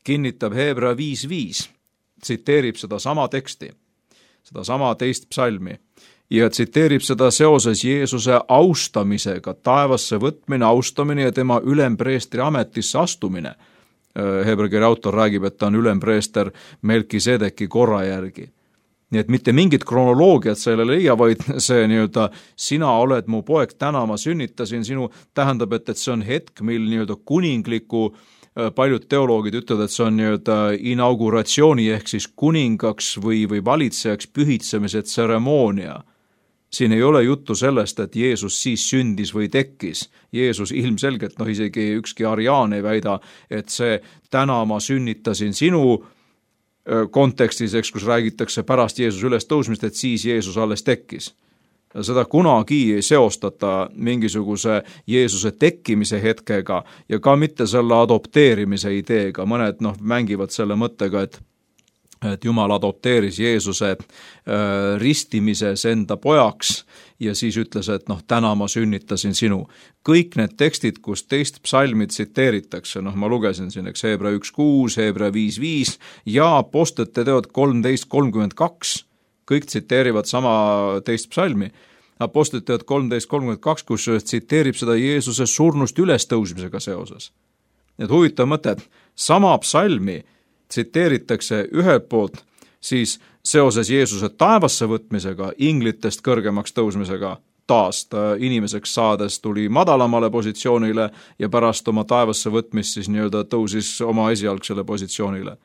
kinnitab Heebra 5.5, tsiteerib seda sama teksti, seda sama 2. psalmi. Ja tsiteerib seda seoses Jeesuse austamisega, taevasse võtmine, austamine ja tema ülempreestri ametisse astumine. Heebra kirja autor räägib, et ta on ülempreester Melkisedeki korra järgi. Nii et mitte mingit kronoloogiat selle leia, vaid see sina oled mu poeg, täna ma sünnitasin sinu, tähendab, et see on hetk, mil kuningliku, paljud teoloogid ütlevad, et see on inauguratsiooni ehk siis kuningaks või valitsejaks pühitsemise tseremoonia. Siin ei ole juttu sellest, et Jeesus siis sündis või tekkis. Jeesus ilmselgelt, isegi ükski ariaan ei väida, et see täna ma sünnitasin sinu kontekstis, kus räägitakse pärast Jeesus üles tõusmist, et siis Jeesus alles tekkis. Seda kunagi ei seostata mingisuguse Jeesuse tekkimise hetkega ja ka mitte selle adopteerimise ideega. Mõned mängivad selle mõttega, et Jumal adopteeris Jeesuse ristimises enda pojaks ja siis ütles, et täna ma sünnitasin sinu. Kõik need tekstid, kus 2. psalmi tsiteeritakse, ma lugesin siin, Heebra 1.6, Heebra 5.5 ja Apostlite teod 13.32, kõik tsiteerivad sama 2. psalmi. Apostlite teod 13.32, kus tsiteerib seda Jeesuse surnust ülestõusmisega seoses. Et huvitav mõte, et sama psalmi tsiteeritakse ühelt poolt siis seoses Jeesuse taevasse võtmisega, inglitest kõrgemaks tõusmisega, taas ta inimeseks saades tuli madalamale positsioonile ja pärast oma taevasse võtmist siis tõusis oma esialgsele positsioonile.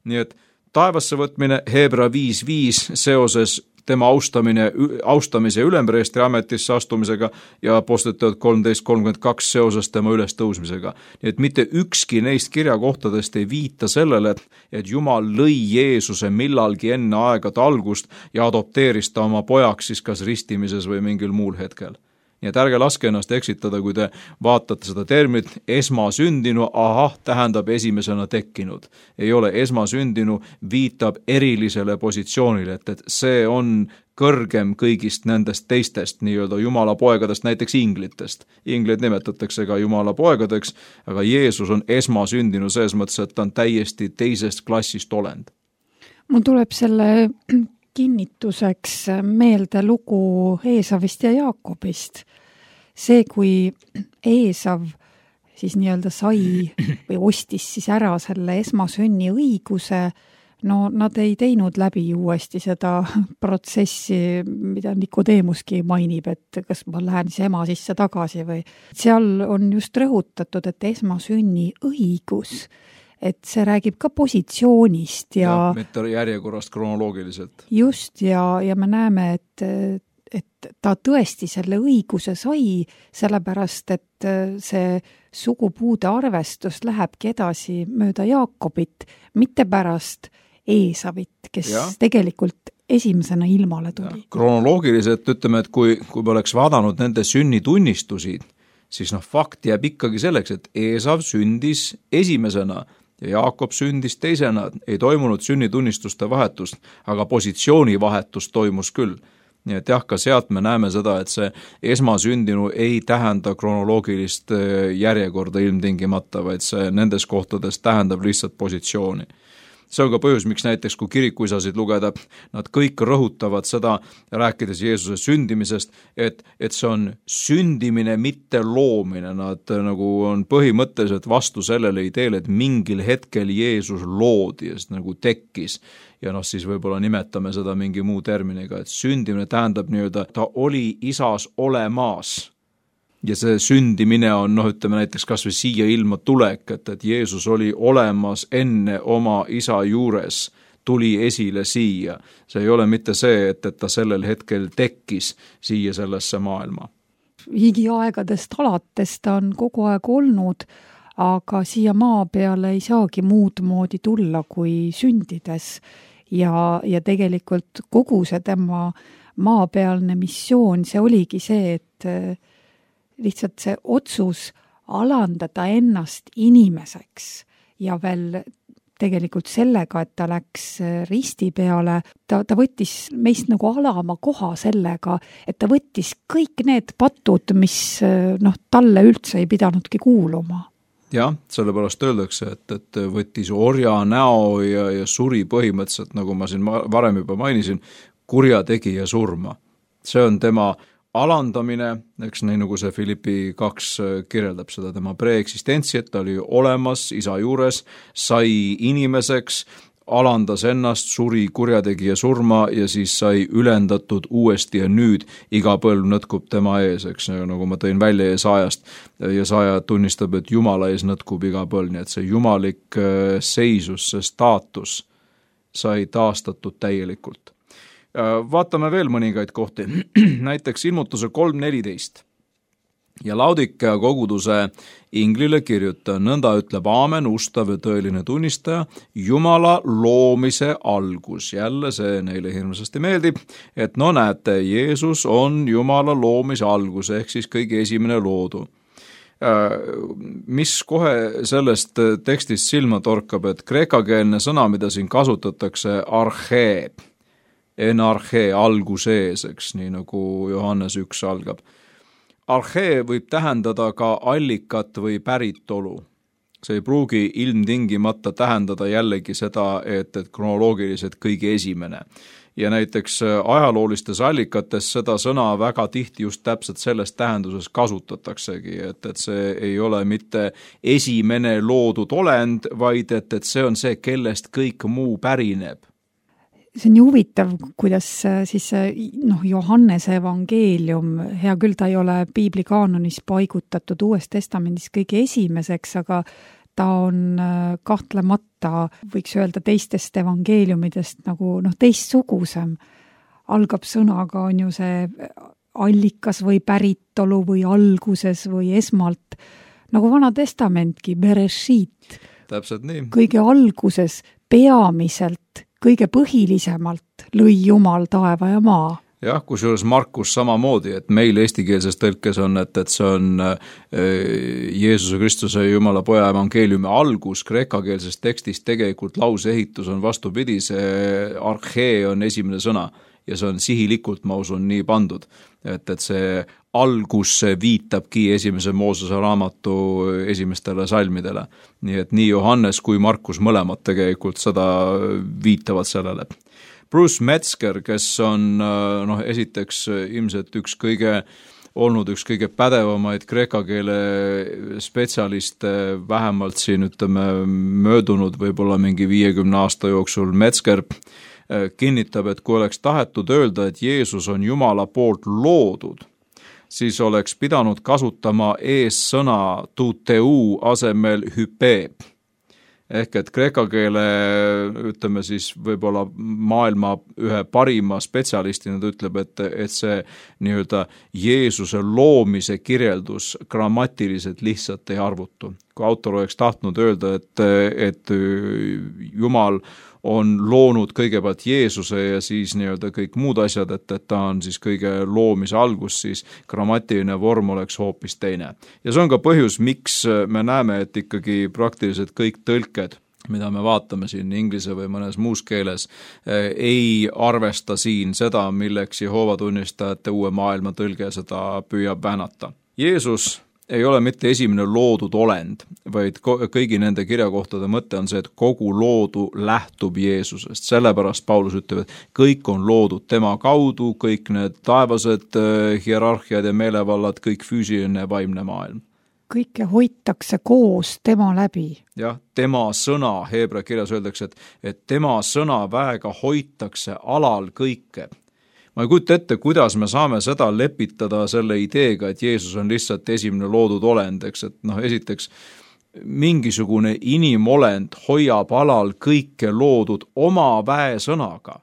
Nii et taevasse võtmine Heebra 5.5 seoses tema austamise ülempreestri ametisse astumisega ja Apostlite teod 13.32 seoses tema ülestõusmisega. Nii et mitte ükski neist kirjakohtadest ei viita sellele, et Jumal lõi Jeesuse millalgi enne aegade algust ja adopteeris ta oma pojaks siis kas ristimises või mingil muul hetkel. Nii et ärge laske ennast eksitada, kui te vaatate seda terminit esmasündinu, tähendab esimesena tekkinud. Ei ole, esmasündinu viitab erilisele positsioonile, et see on kõrgem kõigist nendest teistest nii-öelda Jumala poegadest, näiteks inglitest. Ingleid nimetatakse ka Jumala poegadeks, aga Jeesus on esmasündinu selles mõttes, et ta on täiesti teisest klassist olend. Mul tuleb selle kinnituseks meelde lugu Eesavist ja Jaakobist. See, kui Eesav siis nii-öelda sai või ostis siis ära selle esmasünni õiguse, no nad ei teinud läbi uuesti seda protsessi, mida Nikodeemuski mainib, et kas ma lähen siis ema sisse tagasi või. Seal on just rõhutatud, et esmasünni õigus, et see räägib ka positsioonist ja mitte järjekorrast kronoloogiliselt. Just, ja me näeme, et ta tõesti selle õiguse sai, sellepärast, et see sugupuude arvestus lähebki edasi mööda Jaakobit, mitte pärast Eesavit, kes tegelikult esimesena ilmale tuli. Kronoloogiliselt ütleme, et kui me oleks vaadanud nende sünnitunnistusi, siis fakt jääb ikkagi selleks, et Eesav sündis esimesena ja Jaakob sündis teisena. Ei toimunud sünnitunnistuste vahetust, aga positsiooni vahetus toimus küll. Nii et ka sealt me näeme seda, et see esmasündinu ei tähenda kronoloogilist järjekorda ilmtingimata, vaid see nendes kohtades tähendab lihtsalt positsiooni. See on ka põhjus, miks näiteks kui kirikuisasid lugeda, nad kõik rõhutavad seda, rääkides Jeesuse sündimisest, et see on sündimine, mitte loomine. Nad nagu on põhimõtteliselt vastu sellele ideele, et mingil hetkel Jeesus loodi ja nagu tekkis. Ja siis võib-olla nimetame seda mingi muu terminiga, et sündimine tähendab nii-öelda, ta oli isas olemas. Ja see sündimine on, ütleme näiteks kas või siia ilma tulek, et Jeesus oli olemas enne oma isa juures, tuli esile siia. See ei ole mitte see, et ta sellel hetkel tekkis siia sellesse maailma. Higiaegadest alates ta on kogu aeg olnud, aga siia maa peale ei saagi muud moodi tulla kui sündides. Ja tegelikult kogu see tema maapealne missioon, see oligi see, et lihtsalt see otsus alandada ennast inimeseks ja veel tegelikult sellega, et ta läks risti peale, ta võttis meist nagu alama koha sellega, et ta võttis kõik need patud, mis talle üldse ei pidanudki kuuluma. Jah, sellepärast öeldakse, et võttis orja näo ja suri põhimõtteliselt, nagu ma siin varem juba mainisin, kurjategija surma. See on tema alandamine, eks nii nagu see Filippi 2 kirjeldab seda tema preeksistentsi, et ta oli olemas isa juures, sai inimeseks, alandas ennast, suri kurjategija surma ja siis sai ülendatud uuesti ja nüüd iga põlv nõtkub tema ees, eks nagu ma tõin välja Jesaajast. Jesaja tunnistab, et Jumala ees nõtkub iga põlv, nii et see jumalik seisus, see staatus sai taastatud täielikult. Vaatame veel mõningaid kohti, näiteks ilmutuse 3.14. Ja Laodikea koguduse inglile kirjuta, nõnda ütleb aamen, ustav ja tõeline tunnistaja, Jumala loomise algus. Jälle see neile hirmsasti meeldib, et näete, Jeesus on Jumala loomise algus, ehk siis kõige esimene loodu. Mis kohe sellest tekstist silma torkab, et kreekakeelne sõna, mida siin kasutatakse, archee, enarchee, algusees, eks, nii nagu Johannes 1 algab. Archee võib tähendada ka allikat või päritolu. See ei pruugi ilmtingimata tähendada jällegi seda, et kronoloogiliselt kõige esimene. Ja näiteks ajaloolistes allikates seda sõna väga tihti just täpselt selles tähenduses kasutataksegi, et see ei ole mitte esimene loodud olend, vaid et see on see, kellest kõik muu pärineb. See on huvitav, kuidas siis Johannese evangeelium, hea küll, ta ei ole piibli kaanonis paigutatud Uues Testamendis kõige esimeseks, aga ta on kahtlemata, võiks öelda teistest evangeeliumidest nagu teistsugusem. Algab sõnaga, on ju see allikas või päritolu või alguses või esmalt, nagu Vana Testamentki, Bereshit. Täpselt nii. Kõige alguses, peamiselt, kõige põhilisemalt lõi Jumal taeva ja maa. jah, kusjuures Markus samamoodi, et meil eestikeelses tõlkes on, et see on Jeesuse Kristuse Jumala Poja evangeeliumi algus, kreekakeelses tekstis tegelikult lauseehitus on vastupidi, see archee on esimene sõna ja see on sihilikult, ma usun, nii pandud, et see algus viitabki esimese Moosese raamatu esimestele salmidele. Nii et nii Johannes kui Markus mõlemad tegelikult seda viitavad sellele. Bruce Metzger, kes on esiteks ilmselt üks kõige pädevamaid kreeka keele spetsialiste, vähemalt siin möödunud võib-olla mingi 50 aasta jooksul. Metzger kinnitab, et kui oleks tahetud öelda, et Jeesus on Jumala poolt loodud, siis oleks pidanud kasutama eessõna tuteu asemel hype. Ehk et kreeka keele, siis võib-olla maailma ühe parima spetsialistina ta ütleb, et see nii-öelda Jeesuse loomise kirjeldus grammatiliselt lihtsalt ei arvutu. Kui autor oleks tahtnud öelda, et Jumal on loonud kõigepealt Jeesuse ja siis nii-öelda kõik muud asjad, et ta on siis kõige loomise algus, siis grammatiline vorm oleks hoopis teine. Ja see on ka põhjus, miks me näeme, et ikkagi praktiliselt kõik tõlked, mida me vaatame siin inglise või mõnes muus keeles, ei arvesta siin seda, milleks Jehoova tunnistajate uue maailma tõlge seda püüab väänata. Jeesus ei ole mitte esimene loodud olend, vaid kõigi nende kirjakohtade mõte on see, et kogu loodu lähtub Jeesusest. Sellepärast Paulus ütleb, et kõik on loodud tema kaudu, kõik need taevased hierarhiad ja meelevallad, kõik füüsiline ja vaimne maailm. Kõike hoitakse koos tema läbi. Jah, tema sõna, heebrea kirjas öeldakse, et tema sõna väega hoitakse alal kõike. Ma ei kujuta ette, kuidas me saame seda lepitada selle ideega, et Jeesus on lihtsalt esimene loodud olend, eks, et esiteks mingisugune inimolend hoiab alal kõike loodud oma väesõnaga,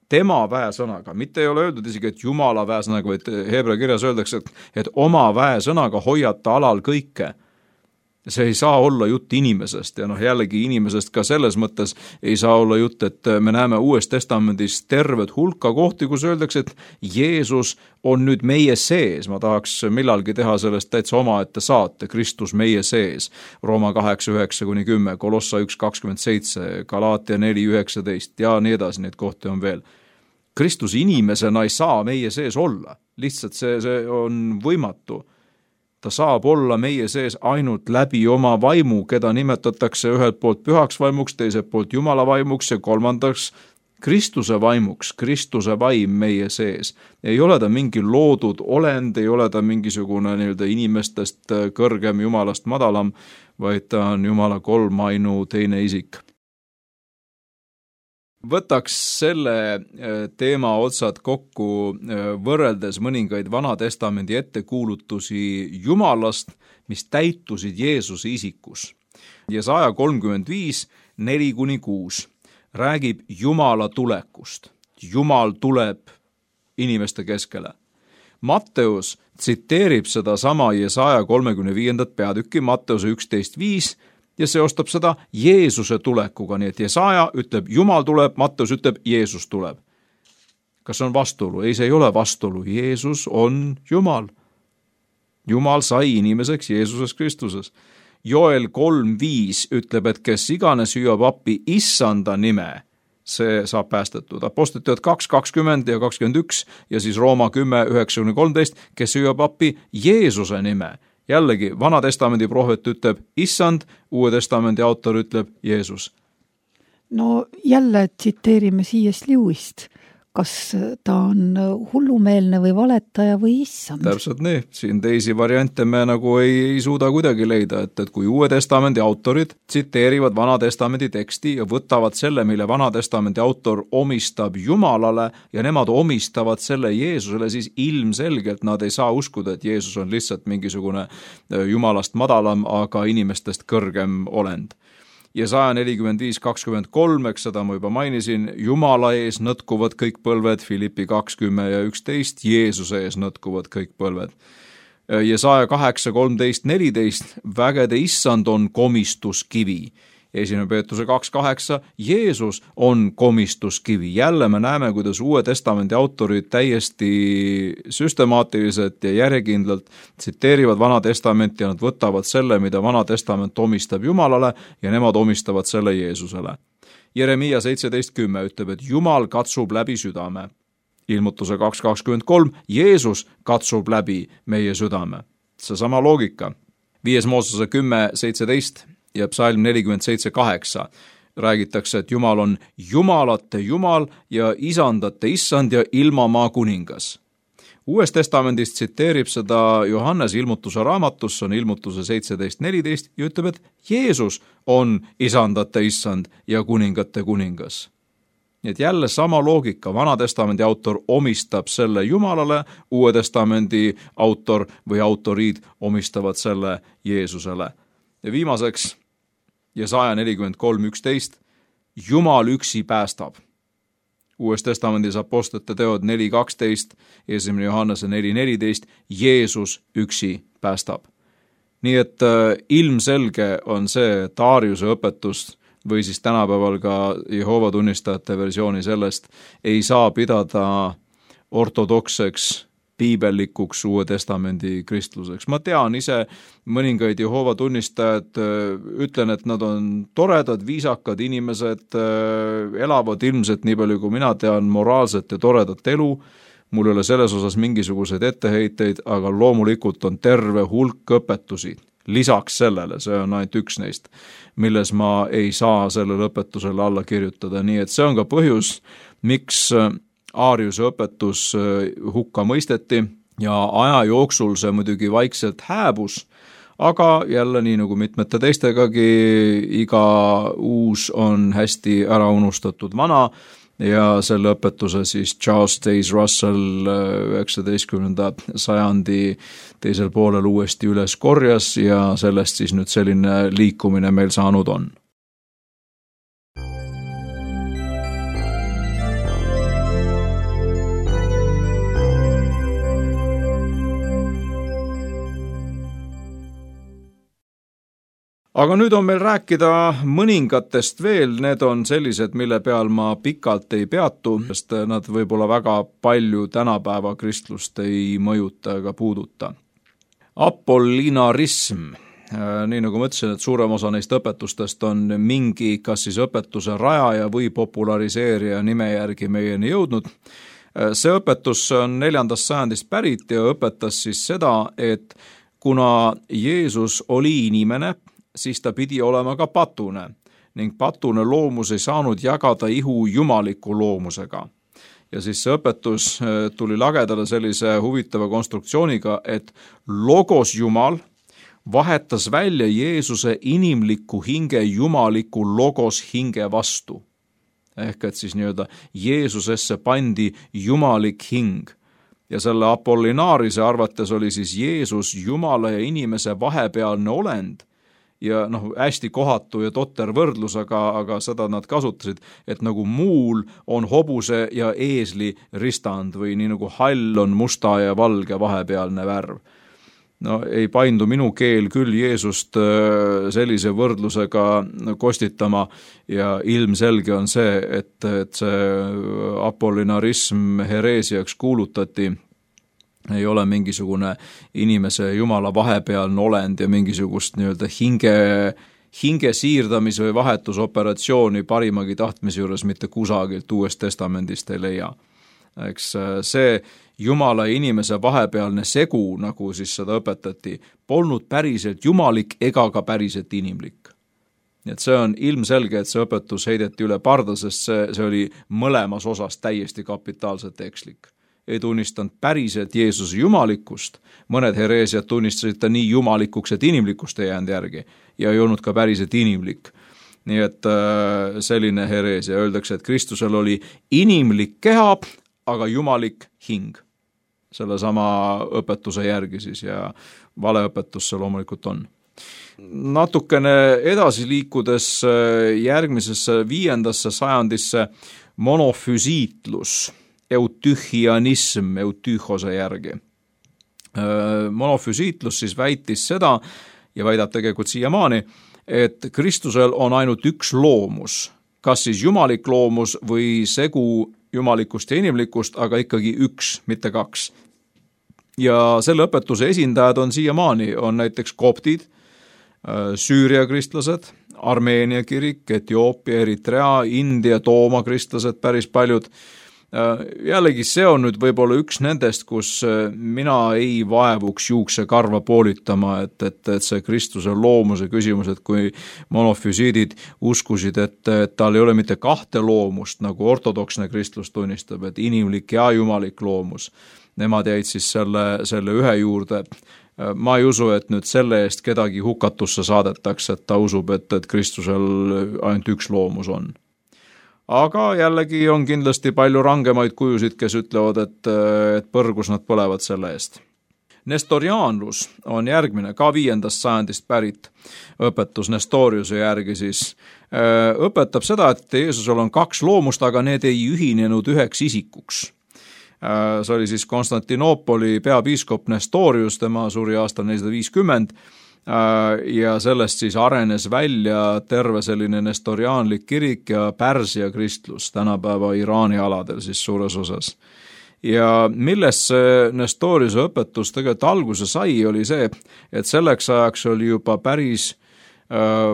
tema väesõnaga, mitte ei ole öeldud isegi, et Jumala väesõnaga, vaid heebrea kirjas öeldakse, et oma väesõnaga hoiata alal kõike. See ei saa olla jutt inimesest ja jällegi inimesest ka selles mõttes ei saa olla jutt, et me näeme Uues Testamendis tervet hulka kohti, kus öeldakse, et Jeesus on nüüd meie sees. Ma tahaks millalgi teha sellest täitsa omaette saate, Kristus meie sees. Rooma 8:9-10, Kolossa 1:27, Galaatia 4:19 ja nii edasi, neid kohti on veel. Kristus inimesena ei saa meie sees olla, lihtsalt see on võimatu. Ta saab olla meie sees ainult läbi oma vaimu, keda nimetatakse ühelt poolt pühaks vaimuks, teiselt poolt Jumala vaimuks ja kolmandaks Kristuse vaimuks, Kristuse vaim meie sees. Ei ole ta mingi loodud olend, ei ole ta mingisugune nii-öelda inimestest kõrgem, Jumalast madalam, vaid ta on Jumala kolmainu teine isik. Võtaks selle teema otsad kokku võrreldes mõningaid Vanatestamendi ettekuulutusi Jumalast, mis täitusid Jeesuse isikus. Jesaja 35, 4-6 räägib Jumala tulekust. Jumal tuleb inimeste keskele. Matteus tsiteerib seda sama Jesaja 35. peatükki, Matteuse 11:5, ja seostab seda Jeesuse tulekuga, nii et Jesaja ütleb Jumal tuleb, Matteus ütleb Jeesus tuleb. Kas on vastuolu? Ei, see ei ole vastuolu. Jeesus on Jumal. Jumal sai inimeseks Jeesuses Kristuses. Joel 3:5 ütleb, et kes iganes hüüab appi issanda nime, see saab päästetud. Apostliteod 2:20 ja 21 ja siis Rooma 10:9-13, kes hüüab appi Jeesuse nime. Jällegi, Vanatestamendi prohvet ütleb issand, Uue Testamendi autor ütleb Jeesus. No jälle tsiteerime C.S. Lewist. Kas ta on hullumeelne või valetaja või issand? Täpselt nii. Siin teisi variante me nagu ei suuda kuidagi leida, et kui Uue Testamendi autorid tsiteerivad Vanatestamendi teksti ja võtavad selle, mille Vanatestamendi autor omistab Jumalale ja nemad omistavad selle Jeesusele, siis ilmselgelt nad ei saa uskuda, et Jeesus on lihtsalt mingisugune Jumalast madalam, aga inimestest kõrgem olend. Jesaja 45:23, eks seda ma juba mainisin, Jumala ees nõtkuvad kõik põlved, Filippi 2:10 ja 11, Jeesuse ees nõtkuvad kõik põlved. Jesaja 8:13-14, vägede issand on komistuskivi 1. Peetruse 2.8, Jeesus on komistuskivi. Jälle me näeme, kuidas Uue Testamendi autorid täiesti süstemaatiliselt ja järjekindlalt tsiteerivad Vana Testamenti ja nad võtavad selle, mida Vana Testament omistab Jumalale ja nemad omistavad selle Jeesusele. Jeremiia 17.10 ütleb, et Jumal katsub läbi südame. Ilmutuse 2.23, Jeesus katsub läbi meie südame. Seesama loogika. 5. Moosese 10.17 ja psalm 47.8 räägitakse, et Jumal on jumalate Jumal ja isandate issand ja ilmamaa kuningas. Uues testamendis tsiteerib seda Johannes Ilmutuse raamatus, on Ilmutuse 17.14 ja ütleb, et Jeesus on isandate issand ja kuningate kuningas. Nii et jälle sama loogika, Vana Testamendi autor omistab selle Jumalale, Uue Testamendi autor või autoriid omistavad selle Jeesusele. Ja viimaseks, Jesaja 43.11, Jumal üksi päästab. Uues Testamendis Apostlite teod 4.12, 1. Johannese 4.14, Jeesus üksi päästab. Nii et ilmselge on see, et Ariuse õpetust või siis tänapäeval ka Jehoova tunnistajate versiooni sellest ei saa pidada ortodokseks, piibellikuks Uue Testamendi kristluseks. Ma tean ise mõningaid Jehoova tunnistajad, ütlen, et nad on toredad, viisakad inimesed, elavad ilmselt nii palju, kui mina tean, moraalset ja toredat elu. Mul ei ole selles osas mingisuguseid etteheiteid, aga loomulikult on terve hulk õpetusi. Lisaks sellele, see on ainult üks neist, milles ma ei saa sellele õpetusele alla kirjutada. Nii et see on ka põhjus, miks Ariuse õpetus hukka mõisteti ja aja jooksul see muidugi vaikselt hääbus, aga jälle nii nagu mitmete teistegagi, iga uus on hästi ära unustatud vana ja selle õpetuse siis Charles Taze Russell 19. sajandi teisel poolel uuesti üles korjas ja sellest siis nüüd selline liikumine meil saanud on. Aga nüüd on meil rääkida mõningatest veel, need on sellised, mille peal ma pikalt ei peatu, sest nad võib-olla väga palju tänapäeva kristlust ei mõjuta ega puuduta. Apollinarism, nii nagu ma ütlesin, et suurem osa neist õpetustest on mingi kas siis õpetuse rajaja või populariseerija nime järgi meieni jõudnud. See õpetus on 4. sajandist pärit ja õpetas siis seda, et kuna Jeesus oli inimene, siis ta pidi olema ka patune ning patune loomus ei saanud jagada ihu jumaliku loomusega. Ja siis see õpetus tuli lagedale sellise huvitava konstruktsiooniga, et logos Jumal vahetas välja Jeesuse inimliku hinge jumaliku logos hinge vastu. Ehk et siis nii-öelda Jeesusesse pandi jumalik hing. Ja selle Apollinaarise arvates oli siis Jeesus Jumala ja inimese vahepealne olend, ja hästi kohatu ja totter võrdlus, aga seda nad kasutasid, et nagu muul on hobuse ja eesli ristand või nii nagu hall on musta ja valge vahepealne värv. Ei paindu minu keel küll Jeesust sellise võrdlusega kostitama ja ilmselge on see, et see apollinarism hereesiaks kuulutati, ei ole mingisugune inimese Jumala vahepealne olend ja mingisugust nii-öelda hinge siirdamis- või vahetusoperatsiooni parimagi tahtmise juures mitte kusagilt Uuest Testamendist ei leia. Eks see Jumala ja inimese vahepealne segu, nagu siis seda õpetati, polnud päriselt jumalik ega ka päriselt inimlik. Nii et see on ilmselge, et see õpetus heideti üle parda, sest see oli mõlemas osas täiesti kapitaalselt ekslik. Ei tunnistanud päriselt Jeesuse jumalikkust, mõned hereesiad tunnistasid ta nii jumalikuks, et inimlikkust ei jäänud järgi ja ei olnud ka päriselt inimlik. Nii et selline hereesia, öeldakse, et Kristusel oli inimlik keha, aga jumalik hing. Selle sama õpetuse järgi siis ja valeõpetus see loomulikult on. Natukene edasi liikudes järgmisesse 5. sajandisse monofüsiitlus, eutühianism eutühose järgi. Monofüsiitlus siis väitis seda ja väidab tegelikult siiamaani, et Kristusel on ainult üks loomus, kas siis jumalik loomus või segu jumalikust ja inimlikust, aga ikkagi üks, mitte kaks. Ja selle õpetuse esindajad on siiamaani, on näiteks koptid, Süüria kristlased, Armeenia kirik, Etioopia, Eritrea, India, Tooma kristlased, päris paljud. Jällegi see on nüüd võib-olla üks nendest, kus mina ei vaevuks juuksekarva poolitama, et see Kristuse loomuse küsimus, et kui monofüsiidid uskusid, et tal ei ole mitte kahte loomust, nagu ortodoksne kristlus tunnistab, et inimlik ja jumalik loomus, nemad jäid siis selle ühe juurde. Ma ei usu, et nüüd selle eest kedagi hukatusse saadetakse, et ta usub, et Kristusel ainult üks loomus on. Aga jällegi on kindlasti palju rangemaid kujusid, kes ütlevad, et põrgus nad põlevad selle eest. Nestoriaanlus on järgmine, ka 5. sajandist pärit õpetus Nestoriuse järgi siis. Õpetab seda, et Jeesusel on kaks loomust, aga need ei ühinenud üheks isikuks. See oli siis Konstantinoopoli peapiiskop Nestorius, tema suri aastal 450, ja sellest siis arenes välja terve selline nestoriaanlik kirik ja Pärsia kristlus tänapäeva Iraani aladel siis suures osas. Ja millest see Nestoriuse õpetus tegelikult alguse sai, oli see, et selleks ajaks oli juba päris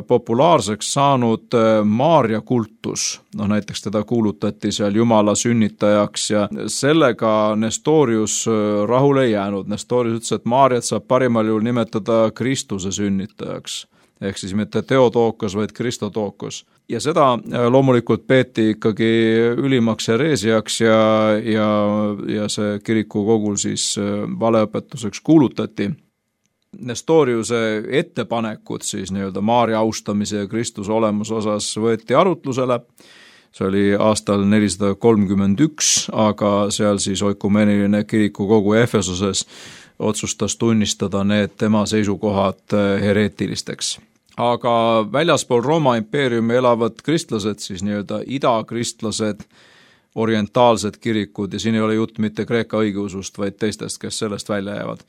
populaarseks saanud Maaria kultus. Näiteks teda kuulutati seal Jumala sünnitajaks ja sellega Nestorius rahule ei jäänud. Nestorius ütles, et Maariat saab parimal juhul nimetada Kristuse sünnitajaks. Ehk siis mitte Theotokos, vaid Kristotokos. Ja seda loomulikult peeti ikkagi ülimaks hereesiaks ja see kirikukogul siis valeõpetuseks kuulutati. Nestoriuse ettepanekud siis nii-öelda Maaria austamise ja Kristuse olemuse osas võeti arutlusele. See oli aastal 431, aga seal siis oikumeeniline kirikukogu Efesoses otsustas tunnistada need tema seisukohad hereetilisteks. Aga väljaspool Rooma impeeriumi elavad kristlased, siis nii-öelda idakristlased, orientaalsed kirikud, ja siin ei ole jutt mitte Kreeka õigeusust, vaid teistest, kes sellest välja jäävad.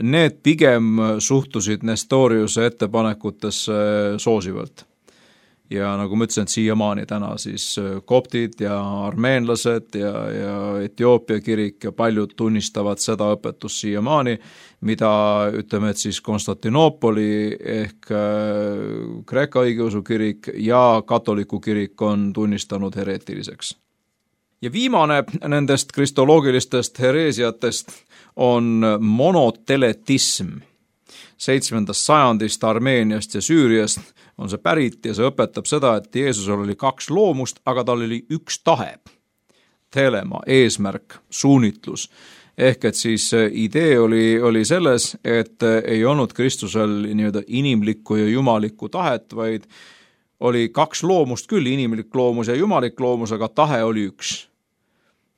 Need pigem suhtusid Nestoriuse ettepanekutesse soosivalt. Ja nagu ma ütlesin, et siiamaani täna siis koptid ja armeenlased ja Etioopia kirik ja paljud tunnistavad seda õpetust siiamaani, mida ütleme, et siis Konstantinoopoli ehk Kreeka õigeusu kirik ja katoliku kirik on tunnistanud hereetiliseks. Ja viimane nendest kristoloogilistest hereesiatest on monoteletism. 7. sajandist Armeeniast ja Süüriast on see pärit ja see õpetab seda, et Jeesusel oli kaks loomust, aga tal oli üks tahe. Telema, eesmärk, suunitlus. Ehk et siis idee oli selles, et ei olnud Kristusel nii-öelda inimlikku ja jumalikku tahet, vaid oli kaks loomust küll, inimlik loomus ja jumalik loomus, aga tahe oli üks.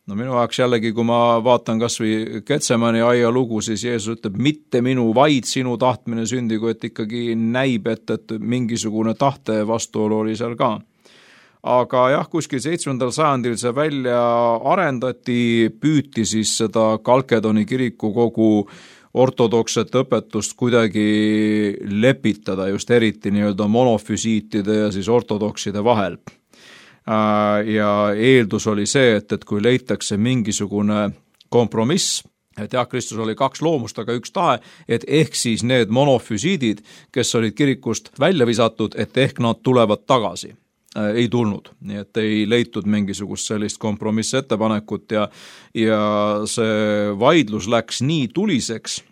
No minu jaoks jällegi, kui ma vaatan kas või Getsemani aia lugu, siis Jeesus ütleb, mitte minu, vaid sinu tahtmine sündigu, et ikkagi näib, et mingisugune tahte vastuolu oli seal ka. Aga jah, kuskil 7. sajandil see välja arendati, püüti siis seda Kalkedoni kirikukogu ortodokset õpetust kuidagi lepitada, just eriti nii-öelda monofüsiitide ja siis ortodokside vahel. Ja eeldus oli see, et kui leitakse mingisugune kompromiss, et jah, Kristus oli kaks loomust, aga üks tahe, et ehk siis need monofüsiidid, kes olid kirikust välja visatud, et ehk nad tulevad tagasi. Ei tulnud, nii et ei leitud mingisugust sellist kompromissettepanekut ja see vaidlus läks nii tuliseks,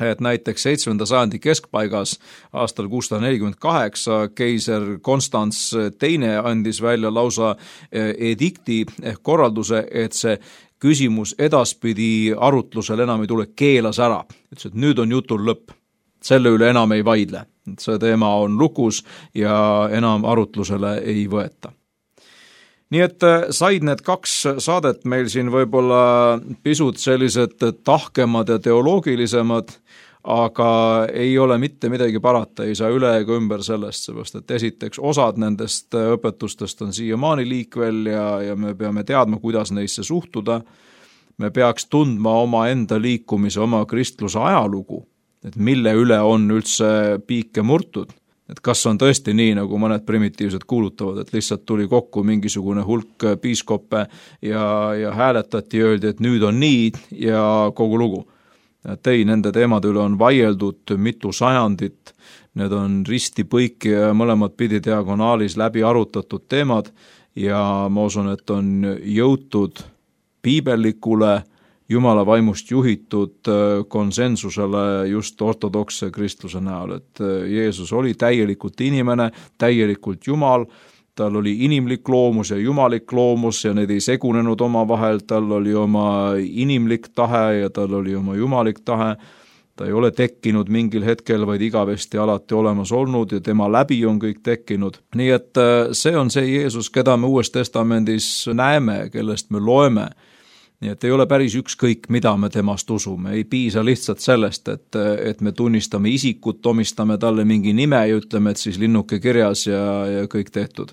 et näiteks 7. sajandi keskpaigas aastal 648 keiser Konstants II andis välja lausa edikti ehk korralduse, et see küsimus edaspidi arutlusel enam ei tule, keelas ära. Ütles, et nüüd on jutul lõpp, selle üle enam ei vaidle. See teema on lukus ja enam arutlusele ei võeta. Nii et said need kaks saadet meil siin võib-olla pisut sellised tahkemad ja teoloogilisemad, aga ei ole mitte midagi parata, ei saa üle ega ümber sellest, seepärast et esiteks osad nendest õpetustest on siiamaani liikvel ja me peame teadma, kuidas neisse suhtuda. Me peaks tundma oma enda liikumise, oma kristluse ajalugu, et mille üle on üldse piike murtud. et kas on tõesti nii, nagu mõned primitiivsed kuulutavad, et lihtsalt tuli kokku mingisugune hulk piiskoppe ja hääletati, öeldi, et nüüd on nii ja kogu lugu. Et ei, nende teemade üle on vaieldud mitu sajandit, need on risti põiki ja mõlemad pidi diagonaalis läbi arutatud teemad ja ma usun, et on jõutud piibellikule, Jumala vaimust juhitud konsensusele just ortodoksse kristluse näol, et Jeesus oli täielikult inimene, täielikult Jumal, tal oli inimlik loomus ja jumalik loomus ja need ei segunenud omavahel, tal oli oma inimlik tahe ja tal oli oma jumalik tahe, ta ei ole tekkinud mingil hetkel, vaid igavesti alati olemas olnud ja tema läbi on kõik tekkinud. Nii et see on see Jeesus, keda me Uues Testamendis näeme, kellest me loeme. Nii et ei ole päris ükskõik, mida me temast usume, ei piisa lihtsalt sellest, et me tunnistame isikut, omistame talle mingi nime ja ütleme, et siis linnuke kirjas ja kõik tehtud.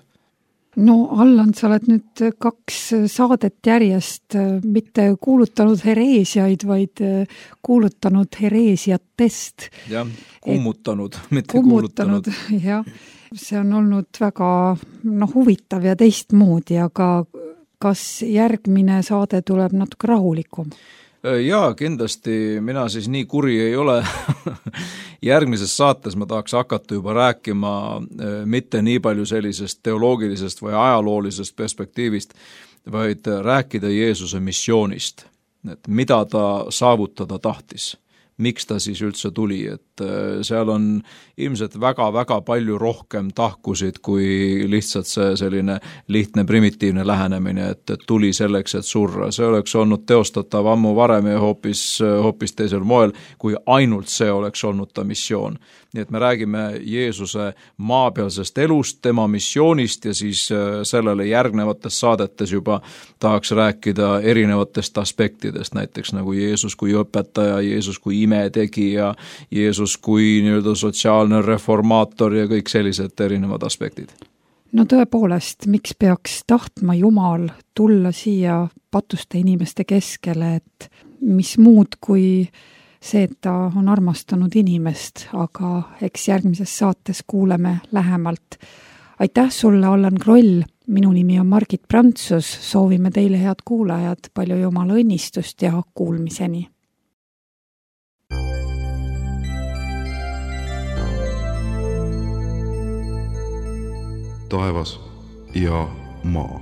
No Allan, sa oled nüüd 2 saadet järjest mitte kuulutanud hereesiaid, vaid kuulutanud hereesiatest. Jah, kummutanud, mitte kuulutanud. Jah, see on olnud väga huvitav ja teistmoodi, aga kas järgmine saade tuleb natuke rahulikum? Jaa, kindlasti mina siis nii kuri ei ole. Järgmises saates ma tahaks hakata juba rääkima mitte nii palju sellisest teoloogilisest või ajaloolisest perspektiivist, vaid rääkida Jeesuse missioonist, et mida ta saavutada tahtis, miks ta siis üldse tuli, et seal on ilmselt väga-väga palju rohkem tahkusid kui lihtsalt see selline lihtne primitiivne lähenemine, et tuli selleks, et surra. See oleks olnud teostatav ammu varem ja hoopis teisel moel, kui ainult see oleks olnud ta missioon. Nii et me räägime Jeesuse maapealsest elust, tema missioonist ja siis sellele järgnevates saadetes juba tahaks rääkida erinevatest aspektidest, näiteks nagu Jeesus kui õpetaja, Jeesus kui imetegija, Jeesus kui nii-öelda sotsiaalne reformaator ja kõik sellised erinevad aspektid. No tõepoolest, miks peaks tahtma Jumal tulla siia patuste inimeste keskele, et mis muud kui see, et ta on armastanud inimest, aga eks järgmises saates kuuleme lähemalt. Aitäh sulle, Allan Kroll, minu nimi on Margit Prantsus, soovime teile head kuulajad palju Jumala õnnistust ja kuulmiseni. Taevas ja maa.